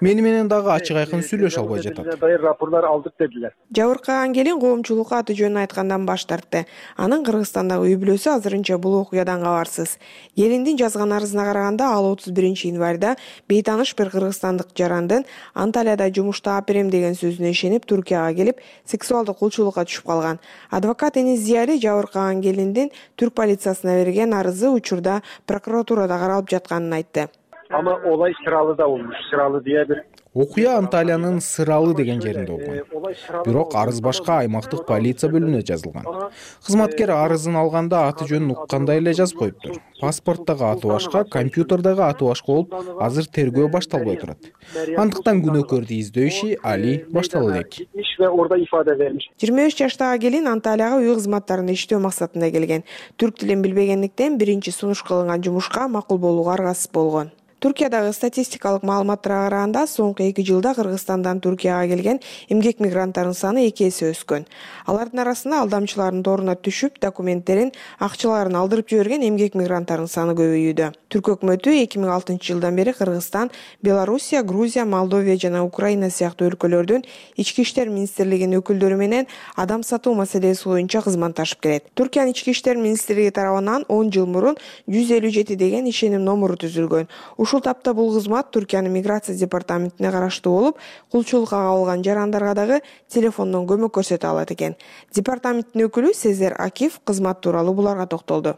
Мени менен дагы ачык айкын сүйлөшө албай жатат. Рапорттар алдык дедилер. Жабыркаган келин коомчулукка аты жөнүн айткандан баш тартты. Анын Кыргызстандагы үй бүлөсү азырынча бул окуядан кабарсыз. Келиндин жазган арызына караганда ал отуз биринчи январда бейтаныш бир кыргызстандык жарандын Анталияда жумуш таап берем деген сөзүнө ишенип Түркияга келип, сексуалдык кулчулукка калган. Адвокат Энис Зияли жабыркаган келиндин түрк полициясына берген арызы учурда прокуратурада каралып жатканын айтты. Ama olay Sıralı'da olmuş. Sıralı diye bir Окуя Анталиянын Сыралы деген жеринде болгон. Бирок арыз башка аймактык полиция бөлүмүнө жазылган. Кызматкер арызын алганда аты жөнүн уккандай эле жазып коюптур. Паспорттогу аты башка, компьютердогу аты башка болуп, азыр тергөө башталбай турат. Андыктан күнөөкөрдү издөө иши али баштала элек. жыйырма үч жаштагы келин Анталияга үй кызматтарында иштөө максатында келген. Түрк тилин билбегендиктен биринчи сунуш кылынган жумушка макул болууга аргасыз болгон. Түркиядагы статистикалык маалыматтарга караганда соңку эки жылда Кыргызстандан Түркияга келген эмгек мигранттардын саны эки эсе өскөн. Алардын арасында алдамчылардын торуна түшүп, документтерин, акчаларын алдырып жиберген эмгек мигранттардын саны көбөйүүдө. Түрк өкмөтү эки миң алтынчы жылдан бери Кыргызстан, Белоруссия, Грузия, Молдовия жана Украина сыяктуу өлкөлөрдүн ички иштер министрлигинин өкүлдөрү менен адам сатуу маселеси боюнча кызматташып келет. Түркиянын ички иштер министрлиги тарабынан он жыл мурун жүз элүү жети деген ишеним номуру түзүлгөн. Ушул тапта бул кызмат Түркиянын миграция департаментине караштуу болуп, кулчулукка кабылган жарандарга дагы телефондон көмөк көрсөтө алат экен. Департаменттин өкүлү Сезер Акиф кызмат тууралуу буларга токтолду.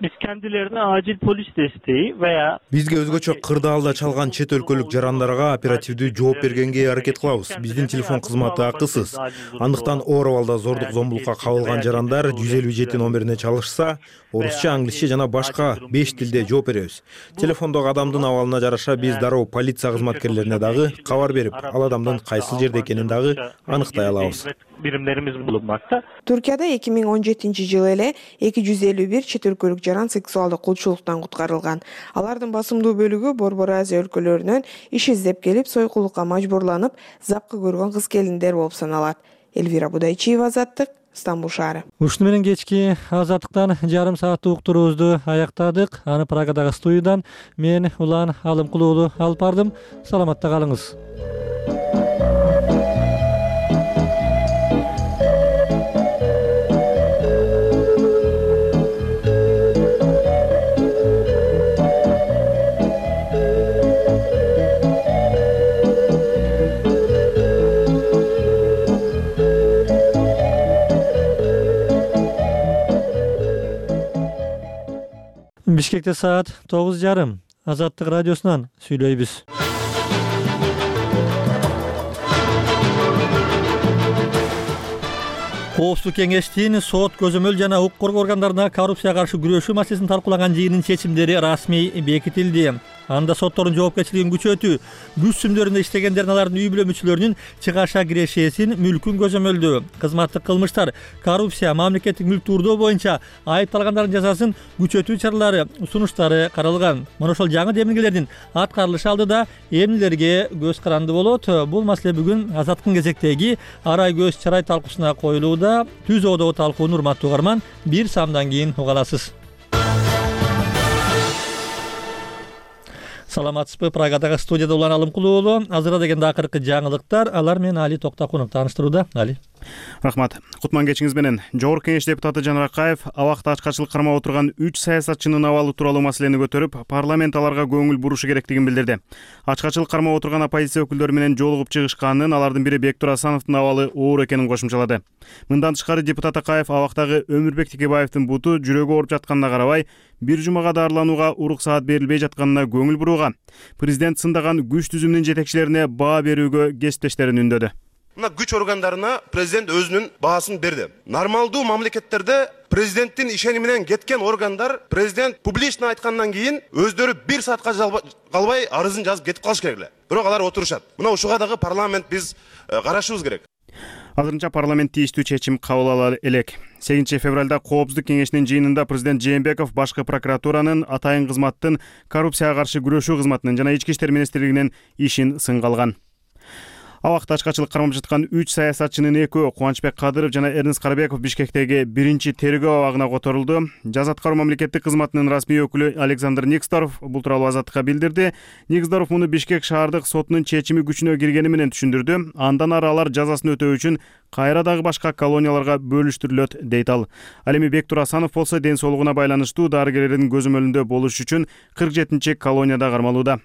Biz kendilerine acil polis desteği veya Бизге өзгөчө кырдаалда чалган чет өлкөлүк жарандарга оперативдүү жооп бергенге аракет кылабыз. Биздин телефон кызматы акысыз. Андыктан оор абалда зордук зомбулукка кабылган жарандар жүз элүү жети номерине чалышса, орусча, англисче жана башка беш тилде жооп беребиз. Телефондогу адамдын абалына жараша биз дароо полиция кызматкерлерине дагы кабар берип, ал адамдын кайсыл жерде экенин дагы аныктай алабыз. Birimlerimiz bulunmakta. Туркияда эки миң он жетинчи жылы эле эки жүз элүү бир чет өлкөлүк жаран сексуалдык кулчулуктан куткарылган. Алардын басымдуу бөлүгү Борбор Азия өлкөлөрүнөн иш издеп келип, сойкулукка мажбурланып, запкы көргөн кыз келиндер болуп саналат. Элвира Будайчиева, Азаттык, Стамбул шаары. Ушуну менен кечки Азаттыктан жарым сааттык уктуруубузду аяктадык. Аны Прагадагы студиядан мен Улан Алымкул уулу алып бардым. Саламатта калыңыз. Бишкекте саат тогуз жарым. Азаттык радиосунан сүйлөйбүз. Коопсуздук кеңештин сот, көзөмөл жана укук коргоо органдарына коррупцияга каршы күрөшүү маселесин талкуулаган жыйынын чечимдери расмий бекитилди. Анда соттордун жоопкерчилигин күчөтүү, күч сүмдөрүндө иштегендердин алардын үй бүлө мүчөлөрүнүн чыгаша кирешесин, мүлкүн көзөмөлдөө, кызматтык кылмыштар, коррупция, мамлекеттик мүлктү уурдоо боюнча айыпталгандардын жазасын күчөтүү чаралары, сунуштары каралган. Мына ошол жаңы демилгелердин аткарылышы алдыда эмнелерге көз каранды болот? Бул маселе бүгүн Азаттыктын кезектеги арай көз чарай талкуусуна коюлууда. Түз оодогу талкууну урматтуу угарман, бир самдан кийин уга аласыз. Саламатсызбы? Прагадагы студияда Улан Алымкул уулу. Азырда дегенде акыркы жаңылыктар. Алар менен Али Токтакунов тааныштырууда. Али. Рахмат. Кутман кечиңиз менен. Жогорку Кеңеш депутаты Жанар Акаев абакта ачкачылык кармап отурган үч саясатчынын абалы тууралуу маселени көтөрүп, парламент аларга көңүл бурушу керектигин билдирди. Ачкачылык кармап отурган оппозиция өкүлдөрү менен жолугуп чыгышканын, алардын бири Бектур Асановдун абалы оор экенин кошумчалады. Мындан тышкары депутат Акаев абактагы Өмүрбек Текебаевдин буту жүрөгү ооруп жатканына карабай, бир жумага дарыланууга уруксаат берилбей жатканына көңүл бурууга, президент сындаган күч түзүмүнүн жетекчилерине баа берүүгө кесиптештерин үндөдү. Мына күч органдарына президент өзүнүн баасын берди. Нормалдуу мамлекеттерде президенттин ишени менен кеткен органдар президент публично айткандан кийин өздөрү бир саатка калбай арызын жазып кетип калыш керек эле. Бирок алар отурушат. Мына ушуга дагы парламент биз карашыбыз керек. Азырынча парламент тийиштүү чечим кабыл ала элек. сегизинчи февралда Коопсуздук кеңешинин жыйынында президент Жээнбеков башкы прокуратуранын, атайын кызматтын, коррупцияга каршы күрөшүү кызматынын жана ички иштер министрлигинин ишин сынга алган. Абакта ачкачылык кармап жаткан үч саясатчынын экөө, Кубанычбек Кадыров жана Эрнест Карабеков Бишкектеги биринчи тергөө абагына которулду. Жаза аткаруу мамлекеттик кызматынын расмий өкүлү Александр Никсдоров бул тууралуу Азаттыкка билдирди. Никсдоров муну Бишкек шаардык сотунун чечими күчүнө киргени менен түшүндүрдү. Андан ары алар жазасын өтөө үчүн кайра дагы башка колонияларга бөлүштүрүлөт дейт ал. Ал эми Бектур Асанов болсо ден соолугуна байланыштуу дарыгерлердин көзөмөлүндө болуш үчүн кырк жетинчи колонияда кармалууда.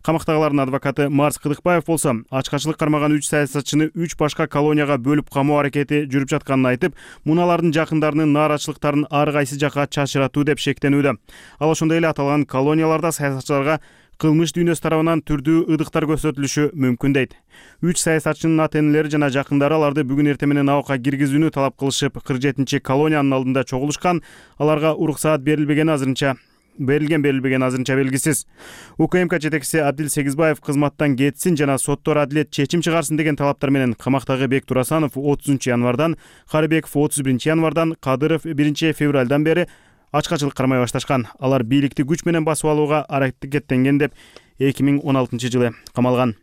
Камактагылардын адвокаты Марс Кыдыкбаев болсо ачкачылык кармаган үч саясатчыны үч башка колонияга бөлүп камоо аракети жүрүп жатканын айтып, муналардын жакындарынын нааразычылыктарын ар кайсы жака чачыратуу деп шектенүүдө. Ал ошондой эле аталган колонияларда саясатчыларга кылмыш дүйнөсү тарабынан түрдүү ыдыктар көрсөтүлүшү мүмкүн дейт. Үч саясатчынын ата-энелери жана жакындары аларды бүгүн эртең менен абакка киргизүүнү талап кылышып, кырк жетинчи колониянын алдында чогулушкан. Аларга уруксаат берилбегени азырынча берилген берилбеген азырынча белгисиз. УКМК жетекчиси Абдил Сегизбаев кызматтан кетсин жана соттор адилет чечим чыгарсын деген талаптар менен камактагы Бектур Асанов отузунчу январдан, Карыбеков отуз биринчи январдан, Кадыров биринчи февралдан бери ачкачылык кармай башташкан. Алар бийликти күч менен басып алууга аракеттенген деп эки миң он алтынчы жылы камалган.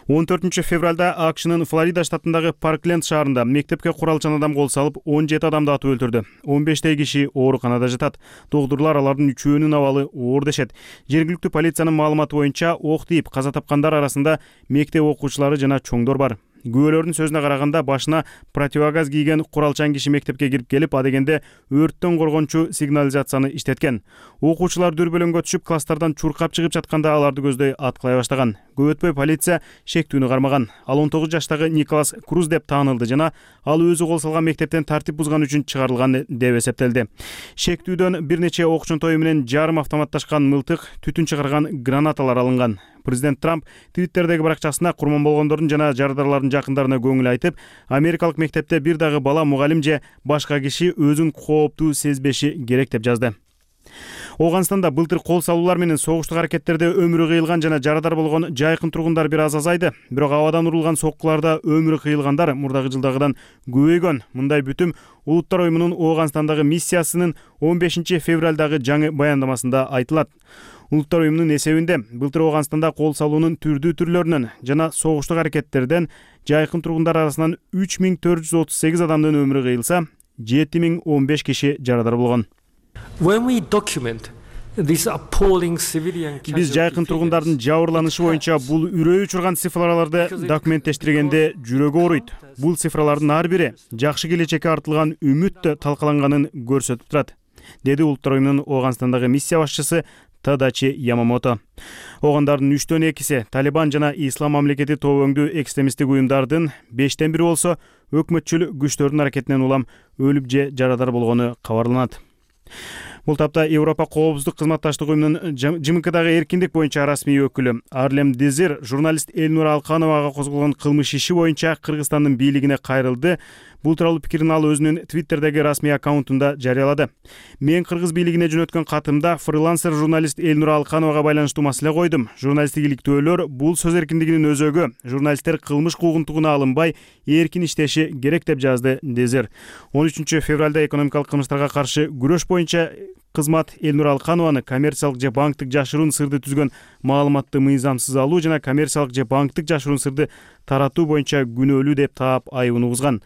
он төртүнчү февралда АКШнын Флорида штатындагы Паркленд шаарында мектепке куралчан адам кол салып, он жети адамды атып өлтүрдү. он бештей киши ооруканада жатат. Доктурлар алардын үчөөнүн абалы оор дешет. Жергиликтүү полициянын маалыматы боюнча ок тийип каза тапкандар арасында мектеп окуучулары жана чоңдор бар. Күбөлөрдүн сөзүнө караганда башына противогаз кийген куралчан киши мектепке кирип келип, адегенде өрттөн коргончу сигнализацияны иштеткен. Окуучулар дүрбөлөңгө түшүп, класстардан чуркап чыгып жатканда аларды көздөй аткылай баштаган. Көп өтпөй полиция шектүүнү кармаган. Ал он тогуз жаштагы Николас Круз деп таанылды жана ал өзү кол салган мектептен тартип бузган үчүн чыгарылган деп эсептелди. Шектүүдөн бир нече ок чонтою менен жарым автоматташкан мылтык, түтүн чыгарган гранаталар алынган. Президент Трамп Твиттердеги баракчасына курман болгондордун жана жарандарлардын жакындарына көңүл айтып, америкалык мектепте бир дагы бала, мугалим же башка киши өзүн кооптуу сезбеши керек деп жазды. Ооганстанда былтыр кол салуулар менен согуштук аракеттерде өмүрү кыйылган жана жарадар болгон жайкын тургундар бир аз азайды. Бирок абадан урулган соккуларда өмүрү кыйылгандар мурдагы жылдагыдан көбөйгөн. Мындай бүтүм Улуттар уюмунун Ооганстандагы миссиясынын он бешинчи февралдагы жаңы баяндамасында айтылат. Улуттар уюмунун эсебинде былтыр Ооганстанда кол салуунун түрдүү түрлөрүнөн жана согуштук аракеттерден жайкын тургундар арасынан үч миң төрт жүз отуз сегиз адамдын өмүрү кыйылса, жети миң он беш киши жарадар болгон. Биз жайкын тургундардын жабырланышы боюнча бул үрөй учурган цифраларды документтештиргенде жүрөгү ооруйт. Бул цифралардын ар бири жакшы келечекке артылган үмүт талкаланганын көрсөтүп турат, деди Улуттар уюмунун Ооганстандагы миссия башчысы Тадачи Ямамото. Оогандардын үчтөн экиси Талибан жана Ислам мамлекети тобөңдүү экстремисттик уюмдардын, бештен бири болсо өкмөтчүл күчтөрдүн аракетинен улам өлүп же жарадар болгону кабарланат. Бул тапта Европа коопсуздук кызматташтык уюмунун ЖМКдагы эркиндик боюнча расмий өкүлү Арлем Дезир журналист Элнура Алкановага козголгон кылмыш иши боюнча Кыргызстандын бийлигине кайрылды. Бул тууралуу пикирин ал өзүнүн Твиттердеги расмий аккаунтунда жарыялады. Мен кыргыз бийлигине жөнөткөн катымда фрилансер журналист Элнура Алкановага байланыштуу маселе койдум. Журналисттик иликтөөлөр бул сөз эркиндигинин өзөгү. Журналисттер кылмыш куугунтугуна алынбай, эркин иштеши керек деп жазды Дезир. он үчүнчү февралда экономикалык кылмыштарга каршы күрөш боюнча кызмат Элнура Алканованы коммерциялык же банктык жашыруун сырды түзгөн маалыматты мыйзамсыз алуу жана коммерциялык же банктык жашыруун сырды таратуу боюнча күнөөлүү деп таап айыбын угузган.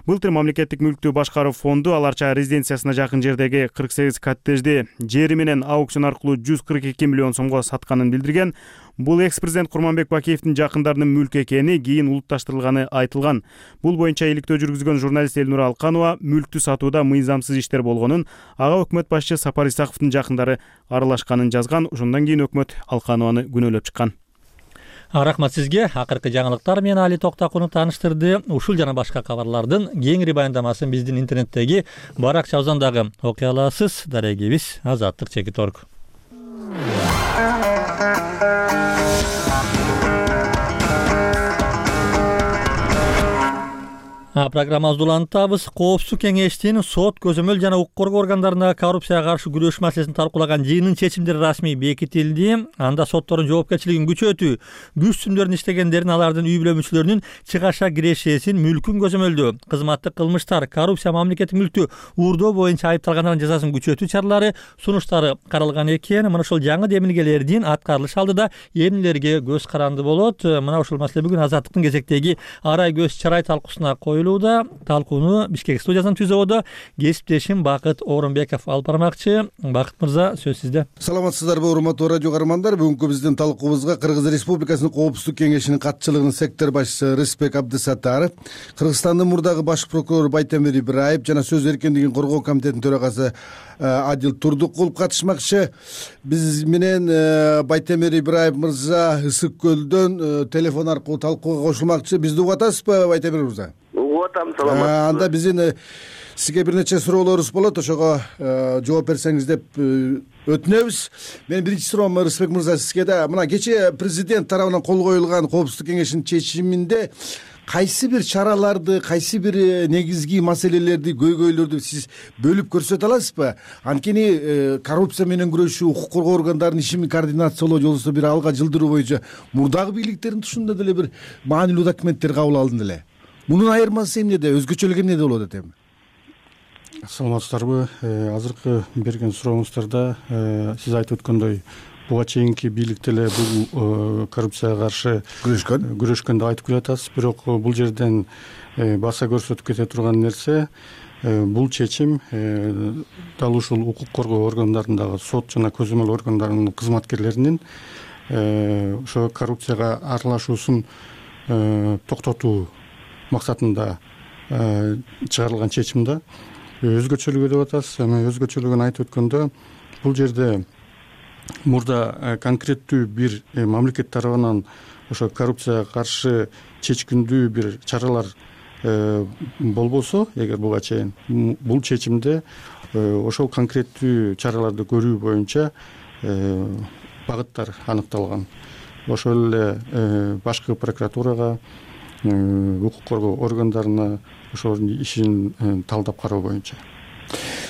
Былтыр мамлекеттик мүлктү башкаруу фонду аларча резиденциясына жакын жердеги кырк сегиз коттеджди жери менен аукцион аркылуу жүз кырк эки миллион сомго сатканын билдирген. Бул экс-президент Курманбек Бакиевдин жакындарынын мүлкү экени кийин улутташтырылганы айтылган. Бул боюнча иликтөө жүргүзгөн журналист Элнура Алканова мүлктү сатууда мыйзамсыз иштер болгонун, ага өкмөт башчы Сапар Исаковдун жакындары аралашканын жазган. Ошондон кийин өкмөт Алканованы күнөөлөп чыккан. Рахмат сизге. Акыркы жаңылыктар менен Али Токтакунов тааныштырды. Ушул жана башка кабарлардын кеңири баяндамасын биздин интернеттеги баракчабыздагы окуя аласыз. Дарегибиз Азаттык чекит орг. Программабызды улантабыз. Коопсуздук кеңештин сот, көзөмөл жана укук коргоо органдарындагы коррупцияга каршы күрөш маселесин талкуулаган жыйынын чечимдери расмий бекитилди. Анда соттордун жоопкерчилигин күчөтүү, күч түзүмдөрүн иштегендерин, алардын үй бүлө мүчөлөрүнүн чыгаша кирешесин, мүлкүн көзөмөлдөө, кызматтык кылмыштар, коррупция, мамлекеттик мүлктү уурдоо боюнча айыпталгандардын жазасын күчөтүү чаралары, сунуштары каралган экен. Мына ушул жаңы демилгелердин аткарылыш алдыда эмнелерге көз каранды болот? Мына ушул маселе бүгүн Азаттыктын кезектеги арай көз чарай талкуусуна коюлууда. Талкууну Бишкек студиясынын түзөбүдө кесиптешим Бакыт Орунбеков алып бармакчы. Бакыт мырза, сөз сизде. Саламатсыздарбы, урматтуу радио каармандар. Бүгүнкү биздин талкуубузга Кыргыз Республикасынын Коопсуздук кеңешинин катчылыгынын сектор башчысы Рысбек Абдысаттаров, Кыргызстандын мурдагы баш прокурору Байтемир Ибраев жана сөз эркиндигин коргоо комитетинин төрагасы Адил Турдукулов катышмакчы. Биз менен Байтемир Ибраев мырза Ысык көлдөн телефон аркылуу талкууга кошулмакчы. Бизди угуп атасызбы, Байтемир мырза? Угуп, саламатсызбы. Анда биздин сизге бир нече суроолорубуз болот, ошого жооп берсеңиз деп өтүнөбүз. Менин биринчи суроом Рысбек мырза сизге да. Мына кечээ президент тарабынан кол коюлган Коопсуздук кеңешинин чечиминде кайсы бир чараларды, кайсы бир негизги маселелерди, көйгөйлөрдү сиз бөлүп көрсөтө аласызбы? Анткени коррупция менен күрөшүү, укук коргоо органдарынын ишин координациялоо же болбосо бир алга жылдыруу боюнча мурдагы бийликтердин тушунда деле бир маанилүү документтер кабыл алынды эле. Мунун айырмасы эмнеде? Өзгөчөлүгү эмнеде болот этем? Саламатсыздарбы. Азыркы берген сурооңуздарда сиз айтып өткөндөй буга чейинки бийлик деле бул коррупцияга каршы күрөшкөн күрөшкөн деп айтып келатасыз. Бирок бул жерден баса көрсөтүп кете турган нерсе, бул чечим дал ушул укук коргоо органдарындагы сот жана көзөмөл органдарынын кызматкерлеринин ошо коррупцияга аралашуусун токтотуу максатында чыгарылган чечим да. Өзгөчөлүгү деп атасыз. Эми өзгөчөлүгүн айтып өткөндө бул жерде мурда конкреттүү бир мамлекет тарабынан ошо коррупцияга каршы чечкиндүү бир чаралар болбосо, эгер буга чейин бул чечимде ошол конкреттүү чараларды көрүү боюнча багыттар аныкталган. Ошол эле башкы прокуратурага, укук коргоо органдарына ошонун ишин талдап кароо боюнча.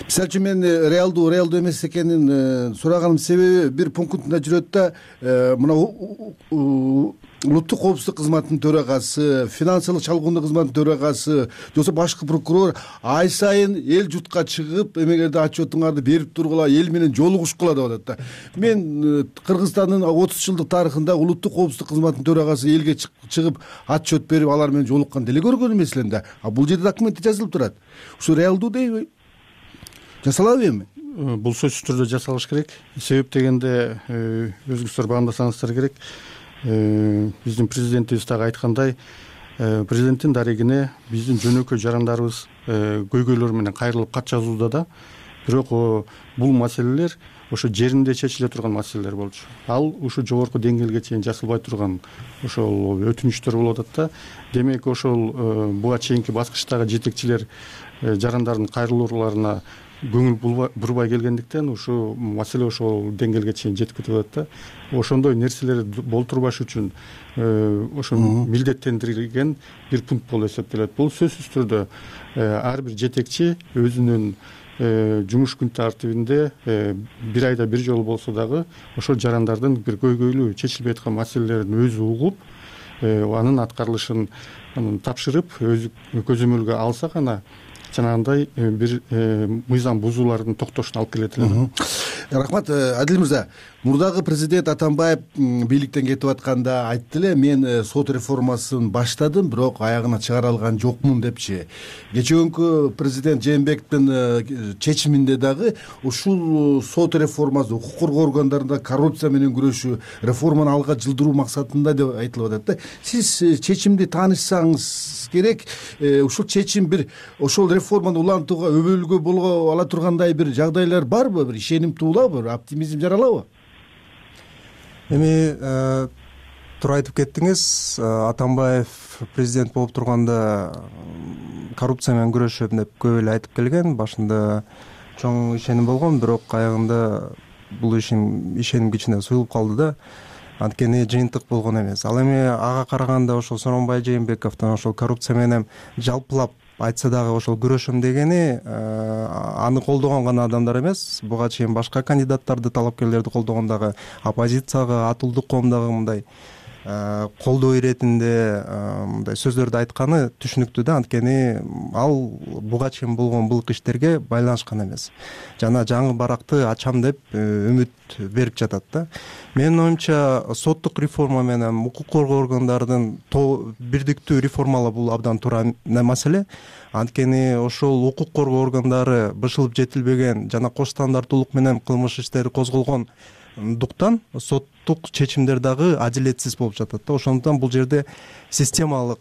Мисалы үчүн мен реалдуу реалдуу эмес экенин сураганымдын себеби бир пунктунда жүрөт да, мына улуттук коопсуздук кызматынын төрагасы, финансылык чалгындоо кызматынын төрагасы, жоксо башкы прокурор ай сайын эл журтка чыгып, эмегерде отчетуңарды берип тургула, эл менен жолугушкула деп атат да. Мен Кыргызстандын отуз жылдык тарыхында улуттук коопсуздук кызматынын төрагасы элге чыгып отчет берип, алар менен жолуккан деле көргөн эмес элем да. А бул жерде документте жазылып турат. Ушу реалдуу дейби? Жасалабы эми? Бул сөзсүз түрдө жасалыш керек. Себеп дегенде өзүңүздөр баамдасаңыздар керек. Биздин президентибиз дагы айткандай, президенттин дарегине биздин жөнөкөй жарандарыбыз көйгөйлөр менен кайрылып кат жазууда да. Бирок бул маселелер ошо жеринде чечиле турган маселелер болчу. Ал ушу жогорку деңгээлге чейин жасалбай турган ошол өтүнүчтөр болуп атат да. Демек ошол буга чейинки баскычтагы жетекчилер жарандардын кайрылууларына көңүл бурбай келгендиктен ушу маселе ошол деңгээлге чейин жетип кетип атат да. Ошондой нерселерди болтурбаш үчүн ошо милдеттендирилген бир пункт болуп эсептелет. Бул сөзсүз түрдө ар бир жетекчи өзүнүн жумуш күн тартибинде бир айда бир жолу болсо дагы ошол жарандардын бир көйгөйлүү чечилбей аткан маселелерин өзү угуп, анын аткарылышын тапшырып, өз көзөмөлгө алса гана жанагындай бир мыйзам бузуулардын токтошуна алып келет эле. Рахмат, Адил мырза. Мурдагы президент Атамбаев бийликтен кетип атканда айтты эле, мен сот реформасын баштадым, бирок аягына чыгара алган жокмун депчи. Кечээкүнкү президент Жээнбековдун чечиминде дагы ушул сот реформасы, укук коргоо органдарында коррупция менен күрөшүү, реформаны алга жылдыруу максатында деп айтылып атат да. Сиз чечимди таанышсаңыз керек, ушул чечим бир ошол реформаны улантууга өбөлгө боло ала тургандай бир жагдайлар барбы? Бир ишеним туулабы? Бир оптимизм жаралабы? Эми туура айтып кеттиңиз. Атамбаев президент болуп турганда коррупция менен күрөшөм деп көп эле айтып келген. Башында чоң ишеним болгон, бирок аягында бул ишин ишеним кичине суюлуп калды да. Анткени жыйынтык болгон эмес. Ал эми ага караганда ошол Сооронбай Жээнбековдун ошол коррупция менен жалпылап айтса дагы ошол күрөшөм дегени аны колдогон гана адамдар эмес, буга чейин башка кандидаттарды, талапкерлерди колдогон дагы оппозицияга, атылдык коом дагы мындай колдоо иретинде мындай сөздөрдү айтканы түшүнүктүү да. Анткени ал буга чейин болгон былык иштерге байланышкан эмес. Жана жаңы баракты ачам деп үмүт берип жатат да. Менин оюмча соттук реформа менен укук коргоо органдардын бирдиктүү реформалоо бул абдан туура маселе. Анткени ошол укук коргоо органдары бышылып жетилбеген жана кош стандарттуулук менен кылмыш иштери козголгон дуктан соттук чечимдер дагы адилетсиз болуп жатат да. Ошондуктан бул жерде системалык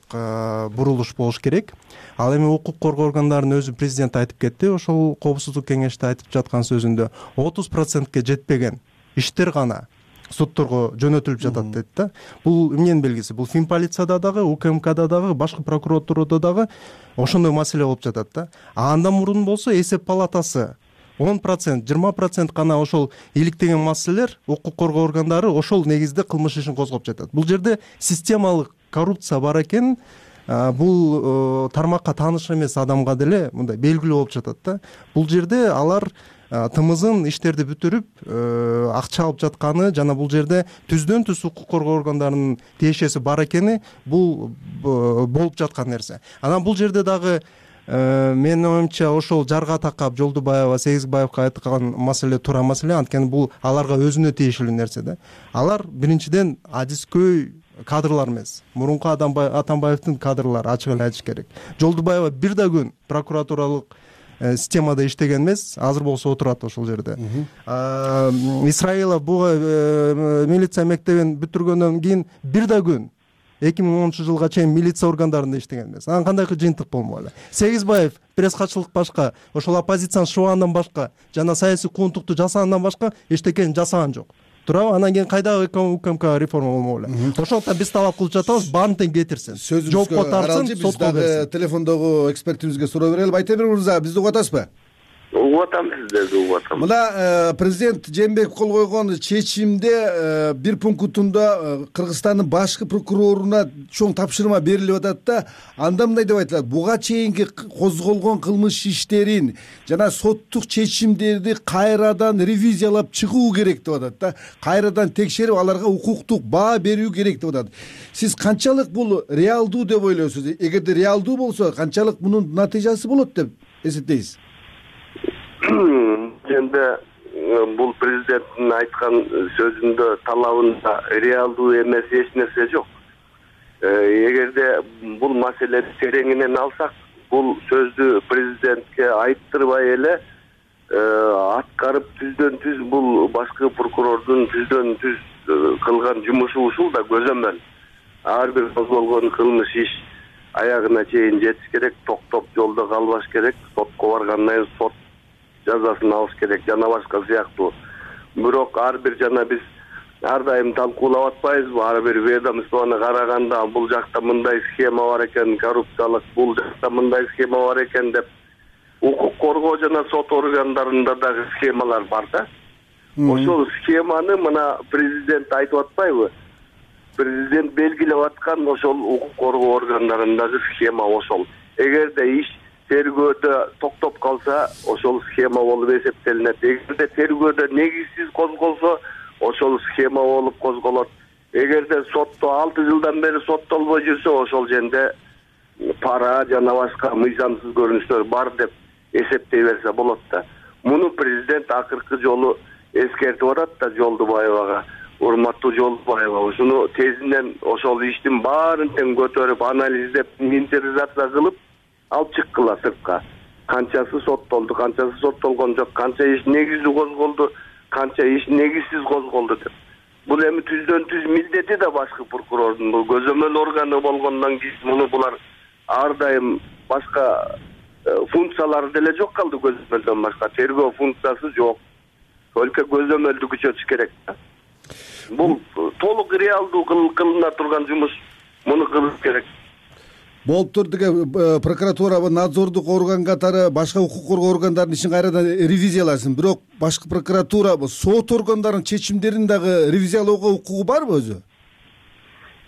бурулуш болуш керек. Ал эми укук коргоо органдарынын өзү президент айтып кетти, ошол коопсуздук кеңеште айтып жаткан сөзүндө отуз процентке жетпеген иштер гана сотторго жөнөтүлүп жатат дейт да. Бул эмненин белгиси? Бул Финполицияда дагы, УКМКда дагы, башкы прокуратурада дагы ошондой маселе болуп жатат да. А андан мурун болсо эсеп палатасы он процент, жыйырма процент гана ошол иликтеген маселелер, укук коргоо органдары ошол негизде кылмыш ишин козгоп жатат. Бул жерде системалык коррупция бар экен, бул тармакка тааныш эмес адамга деле мындай белгилүү болуп жатат да. Бул жерде алар тымызын иштерди бүтүрүп акча алып жатканы жана бул жерде түздөн түз укук коргоо органдарынын тиешеси бар экени бул болуп жаткан нерсе. Анан бул жерде дагы менин оюмча ошол жарга такап Жолдубаева, Сегизбаевка айткан маселе туура маселе. Анткени бул аларга өзүнө тиешелүү нерсе да. Алар биринчиден адискөй кадрлар эмес. Мурунку Атамбаевдин кадрлары, ачык эле айтыш керек. Жолдубаева бир да күн прокуратуралык системада иштеген эмес, азыр болсо отурат ошол жерде. Исраилов буга милиция мектебин бүтүргөндөн кийин бир да күн эки миң онунчу жылга чейин милиция органдарында иштеген эмес. Анан кандайкы жыйынтык болмок эле? Сегизбаев пресс катчылык башка, ошол оппозицияны шыбагандан башка жана саясий кууntукту жасагандан башка эчтекени жасаган жок. Туурабы? Анан кийин кайдагы УКМК реформа болмок эле? Ошондуктан биз талап кылып жатабыз, баарын тең кетирсин. Жоопко тартсын, сотко берсин. Телефондогу экспертибизге суроо берели. Байтемир мырза, бизди угуп атасызбы? Угуп атам сиздерди, угуп атам. Мына президент Жээнбеков кол койгон чечимде бир пунктунда Кыргызстандын башкы прокуроруна чоң тапшырма берилип атат да, анда мындай деп айтылат: буга чейинки козголгон кылмыш иштерин жана соттук чечимдерди кайрадан ревизиялап чыгуу керек деп атат да, кайрадан текшерип аларга укуктук баа берүү керек деп атат. Сиз канчалык бул реалдуу деп ойлойсуз? Эгерде реалдуу болсо, канчалык мунун натыйжасы болот деп эсептейсиз? Эми бул президенттин айткан сөзүндө, талабында реалдуу эмес эч нерсе жок. Эгерде бул маселени тереңинен алсак, бул сөздү президентке айттырбай эле аткарып түздөн түз бул башкы прокурордун түздөн түз кылган жумушу ушул да көзөмөл. Ар бир козголгон кылмыш иш аягына чейин жетиш керек, токтоп жолдо калбаш керек, сотко баргандан кийин сот жазасын алыш керек жана башка сыяктуу. Бирок ар бир жана биз ар дайым талкуулап атпайбызбы? Ар бир ведомствону караганда бул жакта мындай схема бар экен, коррупциялык, бул жакта мындай схема бар экен деп укук коргоо жана сот органдарында дагы схемалар бар да. Ошол схеманы мына президент айтып атпайбы? Президент белгилеп аткан ошол укук коргоо органдарындагы схема ошол. Эгерде иш тергөөдө токтоп калса, ошол схема болуп эсептелинет. Эгерде тергөөдө негизсиз козголсо, ошол схема болуп козголот. Эгерде сотто алты жылдан бери соттолбой жүрсө, ошол жерде пара жана башка мыйзамсыз көрүнүштөр бар деп эсептей берсе болот да. Муну президент акыркы жолу эскертип атат да Жолдубаевага. Урматтуу Жолдубаева, ушуну тезинен ошол иштин баарын тең көтөрүп, анализдеп, инвентаризация кылып алып чыккыла сыртка. Канчасы соттолду, канчасы соттолгон жок, канча иш негиздүү козголду, канча иш негизсиз козголду деп. Бул эми түздөн түз милдети да башкы прокурордун, бул көзөмөл органы болгондон кийин муну булар ар дайым башка функциялары деле жок калды, көзөмөлдөн башка тергөө функциясы жок. Только көзөмөлдү күчөтүш керек. Бул толук реалдуу кылына турган жумуш, муну кылыш керек. Болуптур деге прокуратура надзордук орган катары башка укук коргоо органдарынын ишин кайрадан ревизияласын. Бирок башкы прокуратура сот органдарынын чечимдерин дагы ревизиялоого укугу барбы өзү?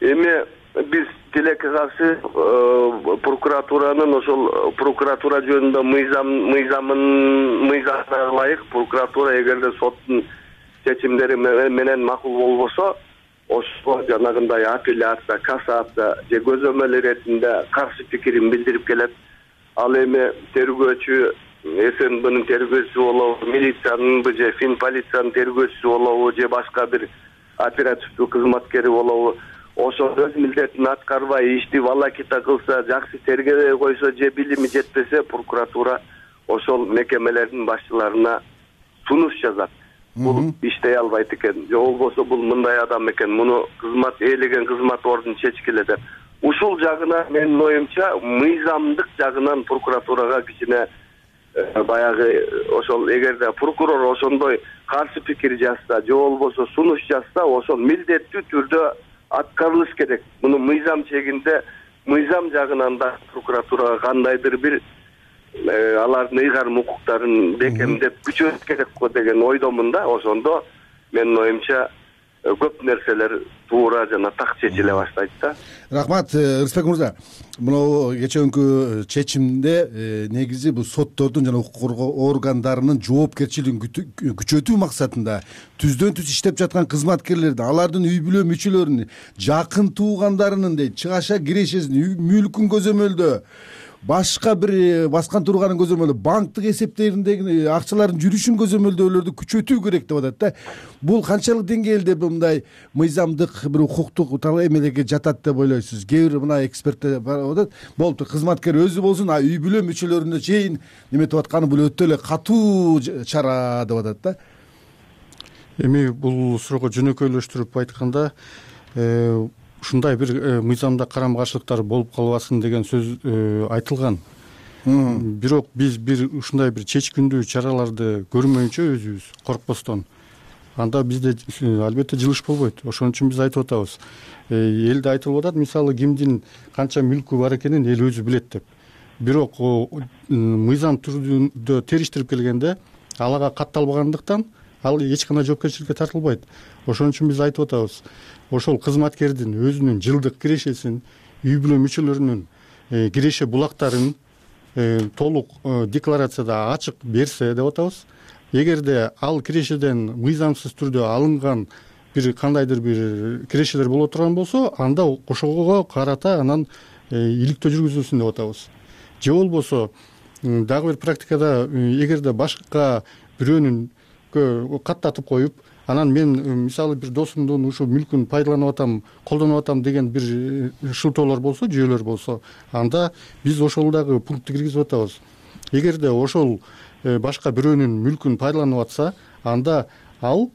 Эми биз тилекке каршы прокуратуранын ошол прокуратура жөнүндө мыйзам мыйзамын мыйзамына ылайык прокуратура эгерде соттун чечимдери менен макул болбосо, ошо жанагындай апелляция, кассация же көзөмөл иретинде каршы пикирин билдирип келет. Ал эми тергөөчү, СНБнын тергөөчүсү болобу, милициянын же фин полициянын тергөөчүсү болобу же башка бир оперативдүү кызматкери болобу, ошо өз милдетин аткарбай ишти волокита кылса, жакшы тергебей койсо же билими жетпесе, прокуратура ошол мекемелердин башчыларына сунуш жазат. Бул иштей албайт экен, же болбосо бул мындай адам экен, муну кызмат ээлеген кызмат ордун чечкиле деп. Ушул жагына менин оюмча мыйзамдык жагынан прокуратурага кичине баягы ошол эгерде прокурор ошондой каршы пикир жазса же болбосо сунуш жазса, ошол милдеттүү түрдө аткарылыш керек. Муну мыйзам чегинде мыйзам жагынан да прокуратурага кандайдыр бир алардын ыйгарым укуктарын бекемдеп күчөтүш керек го деген ойдомун да. Ошондо менин оюмча көп нерселер туура жана так чечиле баштайт да. Рахмат, Рыспек мырза. Мына кечээкү чечимде негизи бул соттордун жана укук коргоо органдарынын жоопкерчилигин күчөтүү максатында түздөн түз иштеп жаткан кызматкерлердин, алардын үй бүлө мүчөлөрүнүн, жакын туугандарынын дейт чыгаша кирешесин, мүлкүн көзөмөлдөө, башка бир баскан турганын көзөмөлдөө, банктык эсептериндеги акчалардын жүрүшүн көзөмөлдөөлөрдү күчөтүү керек деп атат да. Бул канчалык деңгээлде мындай мыйзамдык бир укуктук эмелерге жатат деп ойлойсуз? Кээ бир мына эксперттер бар атат, болуптур кызматкер өзү болсун, а үй бүлө мүчөлөрүнө чейин неметип атканы бул өтө эле катуу чара деп атат да. Эми бул суроого жөнөкөйлөштүрүп айтканда, ушундай бир мыйзамда карама каршылыктар болуп калбасын деген сөз айтылган. Бирок биз бир ушундай бир чечкиндүү чараларды көрмөйүнчө өзүбүз коркпостон анда бизде албетте жылыш болбойт. Ошон үчүн биз айтып атабыз. Элде айтылып атат, мисалы кимдин канча мүлкү бар экенин эл өзү билет деп. Бирок мыйзам түрүндө териштирип келгенде алага катталбагандыктан ал эч кандай жоопкерчиликке тартылбайт. Ошон үчүн биз айтып атабыз. Ошол кызматкердин өзүнүн жылдык кирешесин, үй бүлө мүчөлөрүнүн киреше булактарын толук декларацияда ачык берсе деп атабыз. Эгерде ал кирешеден мыйзамсыз түрдө алынган бир кандайдыр бир кирешелер боло турган болсо, анда ошого карата анан иликтөө жүргүзүлсүн деп атабыз. Же болбосо дагы бир практикада эгерде башка бирөөнүн каттатып коюп, анан мен мисалы бир досумдун ушу мүлкүн пайдаланып атам, колдонуп атам деген бир шылтоолор болсо, жүйөлөр болсо, анда биз ошол дагы пунктти киргизип атабыз. Эгерде ошол башка бирөөнүн мүлкүн пайдаланып атса, анда ал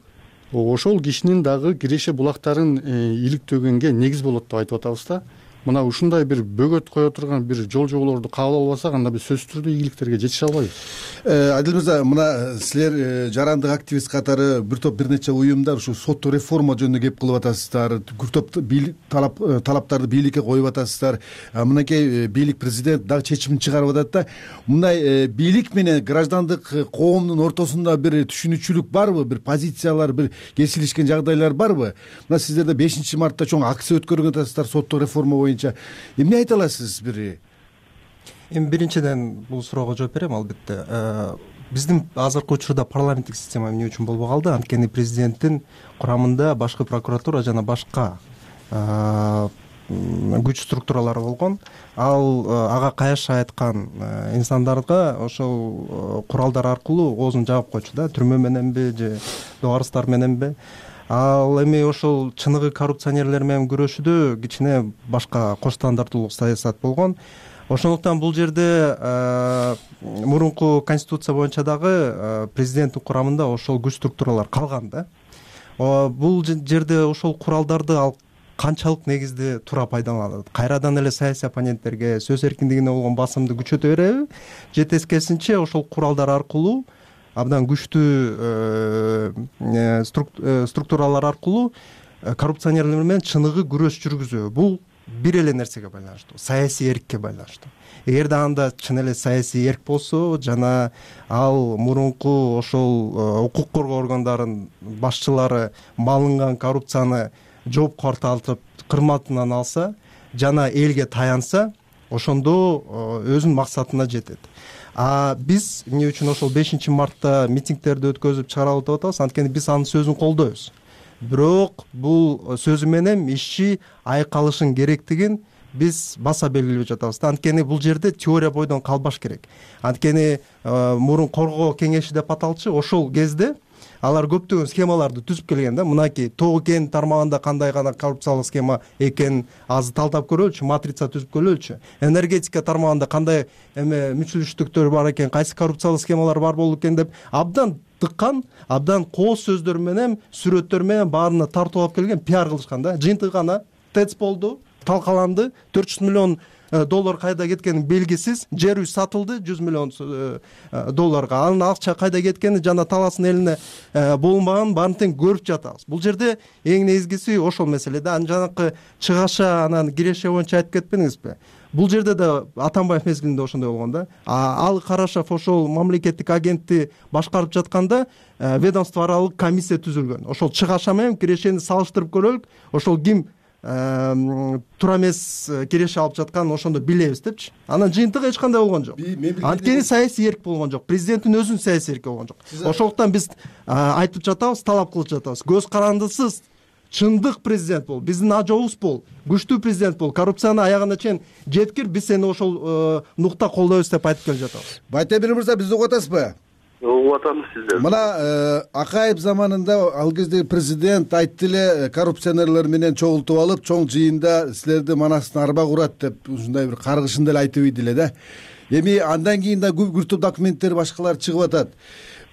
ошол кишинин дагы киреше булактарын иликтөгөнгө негиз болот деп айтып атабыз да. Мына ушундай бир бөгөт кое турган бир жол жоболорду кабыл албасак, анда биз сөзсүз түрдө ийгиликтерге жетише албайбыз. Адил мырза, мына силер жарандык активист катары бир топ бир нече уюмдар ушу соттук реформа жөнүндө кеп кылып атасыздар, көп топ талап талаптарды бийликке коюп атасыздар. Мынакей бийлик президент дагы чечим чыгарып атат да. Мындай бийлик менен граждандык коомдун ортосунда бир түшүнүкчүлүк барбы, бир позициялар, бир кесилишкен жагдайлар барбы? Мына сиздерде бешинчи мартта чоң акция өткөргөн атасыздар соттук реформа боюнча. Эмне айта аласыз бир? Эми биринчиден бул суроого жооп берем албетте. Биздин азыркы учурда парламенттик система эмне үчүн болбой калды? Анткени президенттин курамында башкы прокуратура жана башка күч структуралары болгон. Ал ага кайшы айткан инсандарга ошол куралдар аркылуу оозун жаап койчу да, түрмө мененби же доарыстар мененби. Ал эми ошол чыныгы коррупционерлер менен күрөшүүдө кичине башка кош стандарттуулук саясат болгон. Ошондуктан бул жерде мурунку конституция боюнча дагы президенттин курамында ошол күч структуралар калган да. Бул жерде ошол куралдарды ал канчалык негизде туура пайдаланат? Кайрадан эле саясий оппоненттерге сөз эркиндигине болгон басымды күчөтө береби? Же тескерисинче ошол куралдар аркылуу абдан күчтүү структуралар аркылуу коррупционерлер менен чыныгы күрөш жүргүзүү. Бул бир эле нерсеге байланыштуу, саясий эркке байланыштуу. Эгерде анда чын эле саясий эрк болсо жана ал мурунку ошол укук коргоо органдарынын башчылары малынган коррупцияны жоопко тартып кырматынан алса жана элге таянса, ошондо өзүнүн максатына жетет. А биз эмне үчүн ошол бешинчи мартта митингдерди өткөзүп чыгаралып деп атабыз? Анткени биз анын сөзүн колдойбуз. Бирок бул сөзү менен иши айкалышын керектигин биз баса белгилеп жатабыз. Анткени бул жерде теория бойдон калбаш керек. Анткени мурун коргоо кеңеши деп аталчу, ошол кезде алар көптөгөн схемаларды түзүп келген да. Мынакей Тоо кен тармагында кандай гана коррупциялык схема экенин азыр талдап көрөлүчү, матрица түзүп көрөлүчү. Энергетика тармагында кандай эме мүчүлүштүктөр бар экен, кайсы коррупциялык схемалар бар болду экен деп абдан тыккан, абдан кооз сөздөр менен, сүрөттөр менен баарына тартып алып келген, пиар кылышкан да. Жыйынтыгы гана ТЭЦ болду, талкаланды, төрт жүз миллион доллар кайда кеткени белгисиз, жер үй сатылды жүз миллион долларга. Анын акча кайда кеткени жана таластын элине болунбаганын баарын тең көрүп жатабыз. Бул жерде эң негизгиси ошол маселеде. Анан жанакы чыгаша анан киреше боюнча айтып кетпедиңизби? Бул жерде да Атамбаев мезгилинде ошондой болгон да. Ал Карашев ошол мамлекеттик агентти башкарып жатканда ведомство аралык комиссия түзүлгөн. Ошол чыгаша менен кирешени салыштырып көрөлүк. Ошол ким туура эмес киреше алып жатканын ошондо билебиз депчи. Анан жыйынтыгы эч кандай болгон жок. Анткени саясий эрк болгон жок. Президенттин өзүнүн саясий эрки болгон жок. Ошондуктан биз айтып жатабыз, талап кылып жатабыз. Көз карандысыз чындык президент бол, биздин ажообуз бол, күчтүү президент бол, коррупцияны аягына чейин жеткир, биз сени ошол нукта колдойбуз деп айтып келе жатабыз. Байтемир мырза, бизди угуп атасызбы? Угуп атабыз сиздер. Мына Акаев заманында ал кезде президент айтты эле, коррупционерлер менен чогултуп алып, чоң жыйында силерди манастын арба курат деп ушундай бир каргышында эле айтып ийди эле да. Эми андан кийин да көп топ документтер башкалар чыгып атат.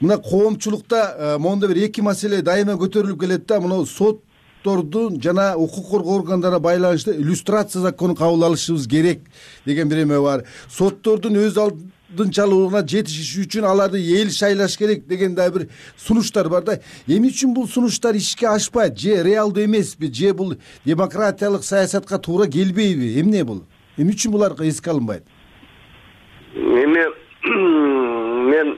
Мына коомчулукта моундай бир эки маселе дайыма көтөрүлүп келет да. Мына сот соттордун жана укук коргоо органдарына байланыштуу иллюстрация законун кабыл алышыбыз керек деген бир эме бар. Соттордун өз алдынчалуулугуна жетишиш үчүн аларды эл шайлаш керек деген да бир сунуштар бар да. Эмне үчүн бул сунуштар ишке ашпайт? Же реалдуу эмеспи? Же бул демократиялык саясатка туура келбейби? Эмне бул? Эмне үчүн булар эске алынбайт? Эми мен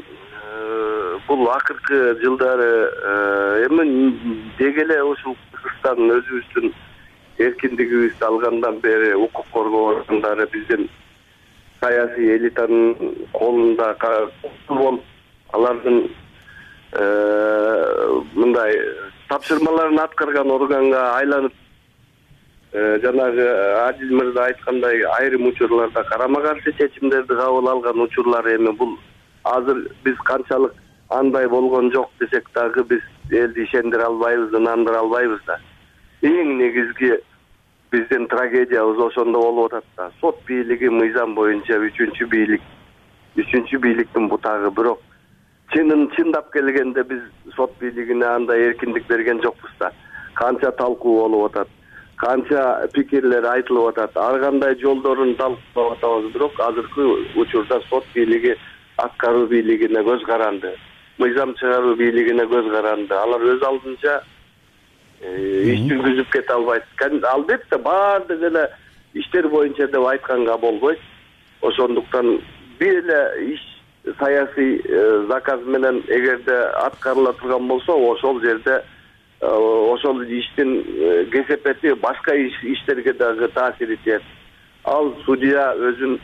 бул акыркы жылдары эми деги эле ушул Кыргызстан өзүбүздүн эркиндигибизди алгандан бери укук коргоо органдары биздин саясий элитанын колунда болуп, алардын мындай тапшырмаларын аткарган органга айланып, жанагы Адил мырза айткандай айрым учурларда карама каршы чечимдерди кабыл алган учурлар эми бул азыр биз канчалык андай болгон жок десек дагы биз элди ишендире албайбыз, ынандыра албайбыз да. Эң негизги биздин трагедиябыз ошондо болуп атат да. Сот бийлиги мыйзам боюнча үчүнчү бийлик, үчүнчү бийликтин бутагы. Бирок чынын чындап келгенде биз сот бийлигине андай эркиндик берген жокпуз да. Канча талкуу болуп атат, канча пикирлер айтылып атат, ар кандай жолдорун талкуулап атабыз. Бирок азыркы учурда сот бийлиги аткаруу бийлигине көз каранды, мыйзам чыгаруу бийлигине көз каранды. Алар өз алдынча иш жүргүзүп кете албайт. Албетте баардык эле иштер боюнча деп айтканга болбойт. Ошондуктан бир эле иш саясий заказ менен эгерде аткарыла турган болсо, ошол жерде ошол иштин кесепети башка иштерге дагы таасир этет. Ал судья өзүн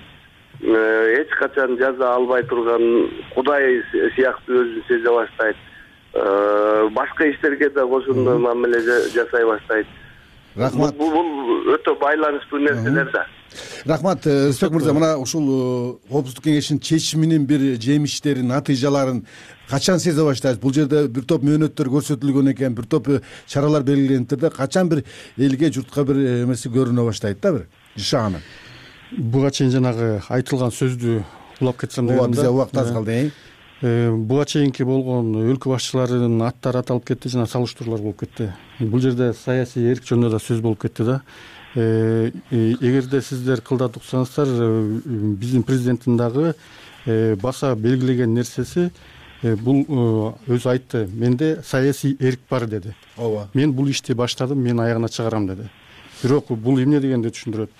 эч качан жаза албай турган кудай сыяктуу өзүн сезе баштайт. Башка иштерге да ошондой мамиле жасай баштайт. Рахмат. Бул өтө байланыштуу нерселер да. Рахмат, Рысбек мырза, мына ушул Коопсуздук кеңешинин чечиминин бир жемиштерин, натыйжаларын качан сезе баштайсыз? Бул жерде бир топ мөөнөттөр көрсөтүлгөн экен, бир топ чаралар белгилениптир да. Качан бир элге, журтка бир эмеси көрүнө баштайт да, бир жашаганы? Буга чейин жанагы айтылган сөздү улап кетсем дегем да. Ооба, бизде убакыт аз калды. Буга чейинки болгон өлкө башчыларынын аттары аталып кетти, жана салыштыруулар болуп кетти. Бул жерде саясий эрк жөнүндө да сөз болуп кетти да. Эгерде сиздер кылдат уксаңыздар, биздин президенттин дагы баса белгилеген нерсеси бул өзү айтты. Менде саясий эрк бар деди. Ооба. Мен бул ишти баштадым, мен аягына чыгарам деди. Бирок бул эмне дегенди түшүндүрөт.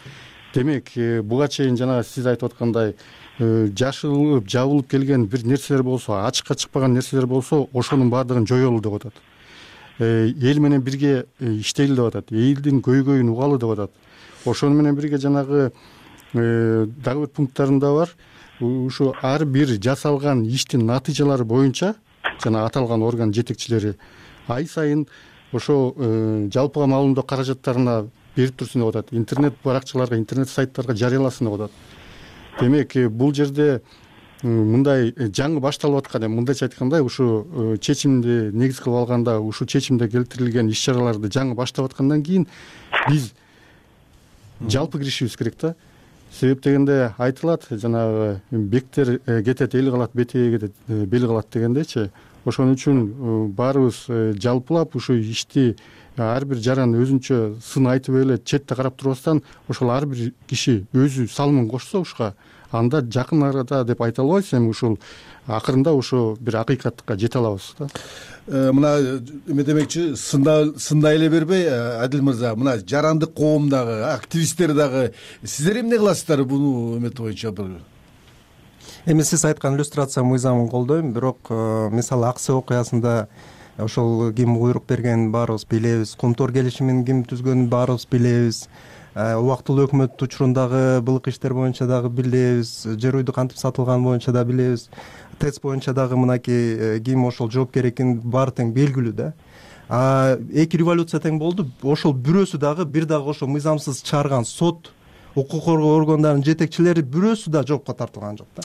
Демек, буга чейин жана сиз айтып аткандай жашылып, жабылып келген бир нерселер болсо, ачыкка чыкпаган нерселер болсо, ошонун баардыгын жоёлу деп атат. Эл менен бирге иштейли деп атат. Элдин көйгөйүн угалы деп атат. Ошону менен бирге жанагы дагы бир пункттарында бар. Ушу ар бир жасалган иштин натыйжалары боюнча жана аталган орган жетекчилери ай сайын ошо жалпыга маалымдоо каражаттарына берип турсун деп атат. Интернет баракчаларга, интернет сайттарга жарыяласын деп атат. Демек, бул жерде мындай жаңы башталып аткан, мындайча айтканда, ушу чечимди негиз кылып алганда, ушу чечимде келтирилген иш-чараларды жаңы баштап аткандан кийин биз жалпы киришибиз керек да. Себеп дегенде айтылат, жанагы бектер кетет, эл калат, бетеге кетет, бел калат дегендечи. Ошон үчүн баарыбыз жалпылап ушу ишти ар бир жаран өзүнчө сын айтып эле четте карап турбастан, ошол ар бир киши өзү салымын кошсо ушка, анда жакын арада деп айта албайбыз, эми ушул акырында ошо бир акыйкатка жете алабыз да. Мына эме демекчи, сындай эле бербей, Адил мырза, мына жарандык коом дагы, активисттер дагы сиздер эмне кыласыздар буну эмет боюнча? Эми сиз айткан иллюстрация мыйзамын колдойм, бирок мисалы Аксы окуясында ошол ким буйрук берген баарыбыз билебиз, Кумтор келишимин ким түзгөнүн баарыбыз билебиз. Убактылуу өкмөт учурундагы былык иштер боюнча дагы билебиз, жер үйдү кантип сатылган боюнча да билебиз. ТЭЦ боюнча дагы мынакей ким ошол жоопкер экени баары тең белгилүү да. А эки революция тең болду, ошол бирөөсү дагы бир дагы ошол мыйзамсыз чыгарган сот, укук коргоо органдарынын жетекчилери бирөөсү да жоопко тартылган жок да.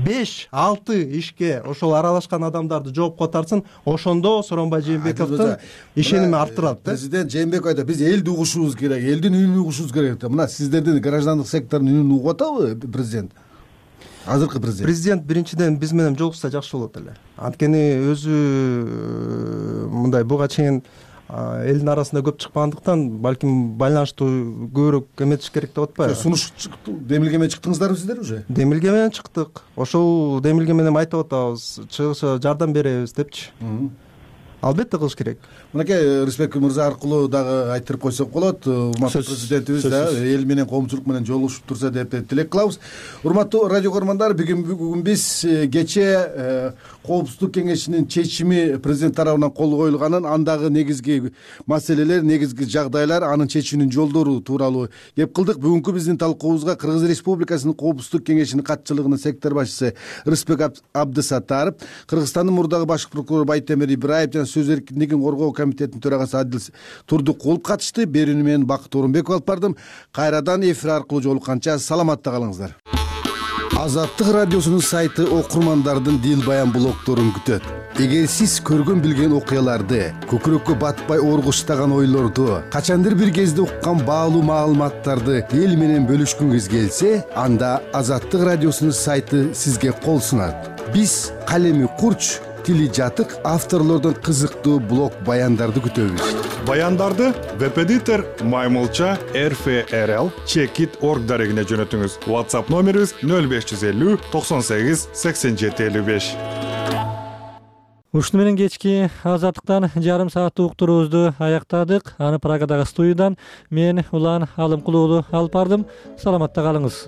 беш алты ишке ошол аралашкан адамдарды жоопко тартсын, ошондо Сооронбай Жээнбековдун ишеними артырат да. Президент Жээнбеков айтат, биз элди угушубуз керек, элдин үнүн угушубуз керек да. Мына сиздердин граждандык сектордун үнүн угуп атабы президент? Азыркы президент. Президент биринчиден биз менен жолукса жакшы болот эле. Анткени өзү мындай буга чейин элдин арасында көп чыкпагандыктан балким байланыштуу көбүрөөк эметиш керек деп атпайбы. Сунуш демилге менен чыктыңыздарбы сиздер уже? Демилге менен чыктык. Ошол демилге менен айтып атабыз, чыгышка жардам беребиз депчи. Албетте кылыш керек. Мынакей Рысбек мырза аркылуу дагы айтырып койсок болот. Урматтуу президентибиз да эл менен коомчулук менен жолугушуп турса деп тилек кылабыз. Урматтуу радио көрөрмандар, бүгүн бүгүн биз кечээ Коопсуздук кеңешинин чечими президент тарабынан кол коюлганын, андагы негизги маселелер, негизги жагдайлар, анын чечүүнүн жолдору тууралуу кеп кылдык. Бүгүнкү биздин талкуубузга Кыргыз Республикасынын Коопсуздук кеңешинин катчылыгынын сектор башчысы Рысбек Абдысаттаров, Кыргызстандын мурдагы баш прокурору Байтемир Ибраев жана сөз эркиндигин коргоо комитетинин төрагасы Адил Турдукулов катышты. Берүүнү мен Бакыт Орунбеков алып бардым. Кайрадан эфир аркылуу жолукканча саламатта калыңыздар. Азаттык радиосунун сайты окурмандардын дил баян блогторун күтөт. Эгер сиз көргөн билген окуяларды, көкүрөккө батпай оргуштаган ойлорду, качандыр бир кезде уккан баалуу маалыматтарды эл менен бөлүшкүңүз келсе, анда Азаттык радиосунун сайты сизге кол сунат. Биз калеми курч, тили жатык авторлордон кызыктуу блог баяндарды күтөбүз. Баяндарды веб-эдитор Маймылча эр эф эр эл чекит точка орг дарегине жөнөтүңүз. WhatsApp номерибиз нөл беш жүз элүү токсон сегиз сексен жети элүү беш. Ушуну менен кечки Азаттыктан жарым сааттык уктуруубузду аяктадык. Аны Прагадагы студиядан мен Улан Алымкулуулу алып бардым. Саламатта калыңыз.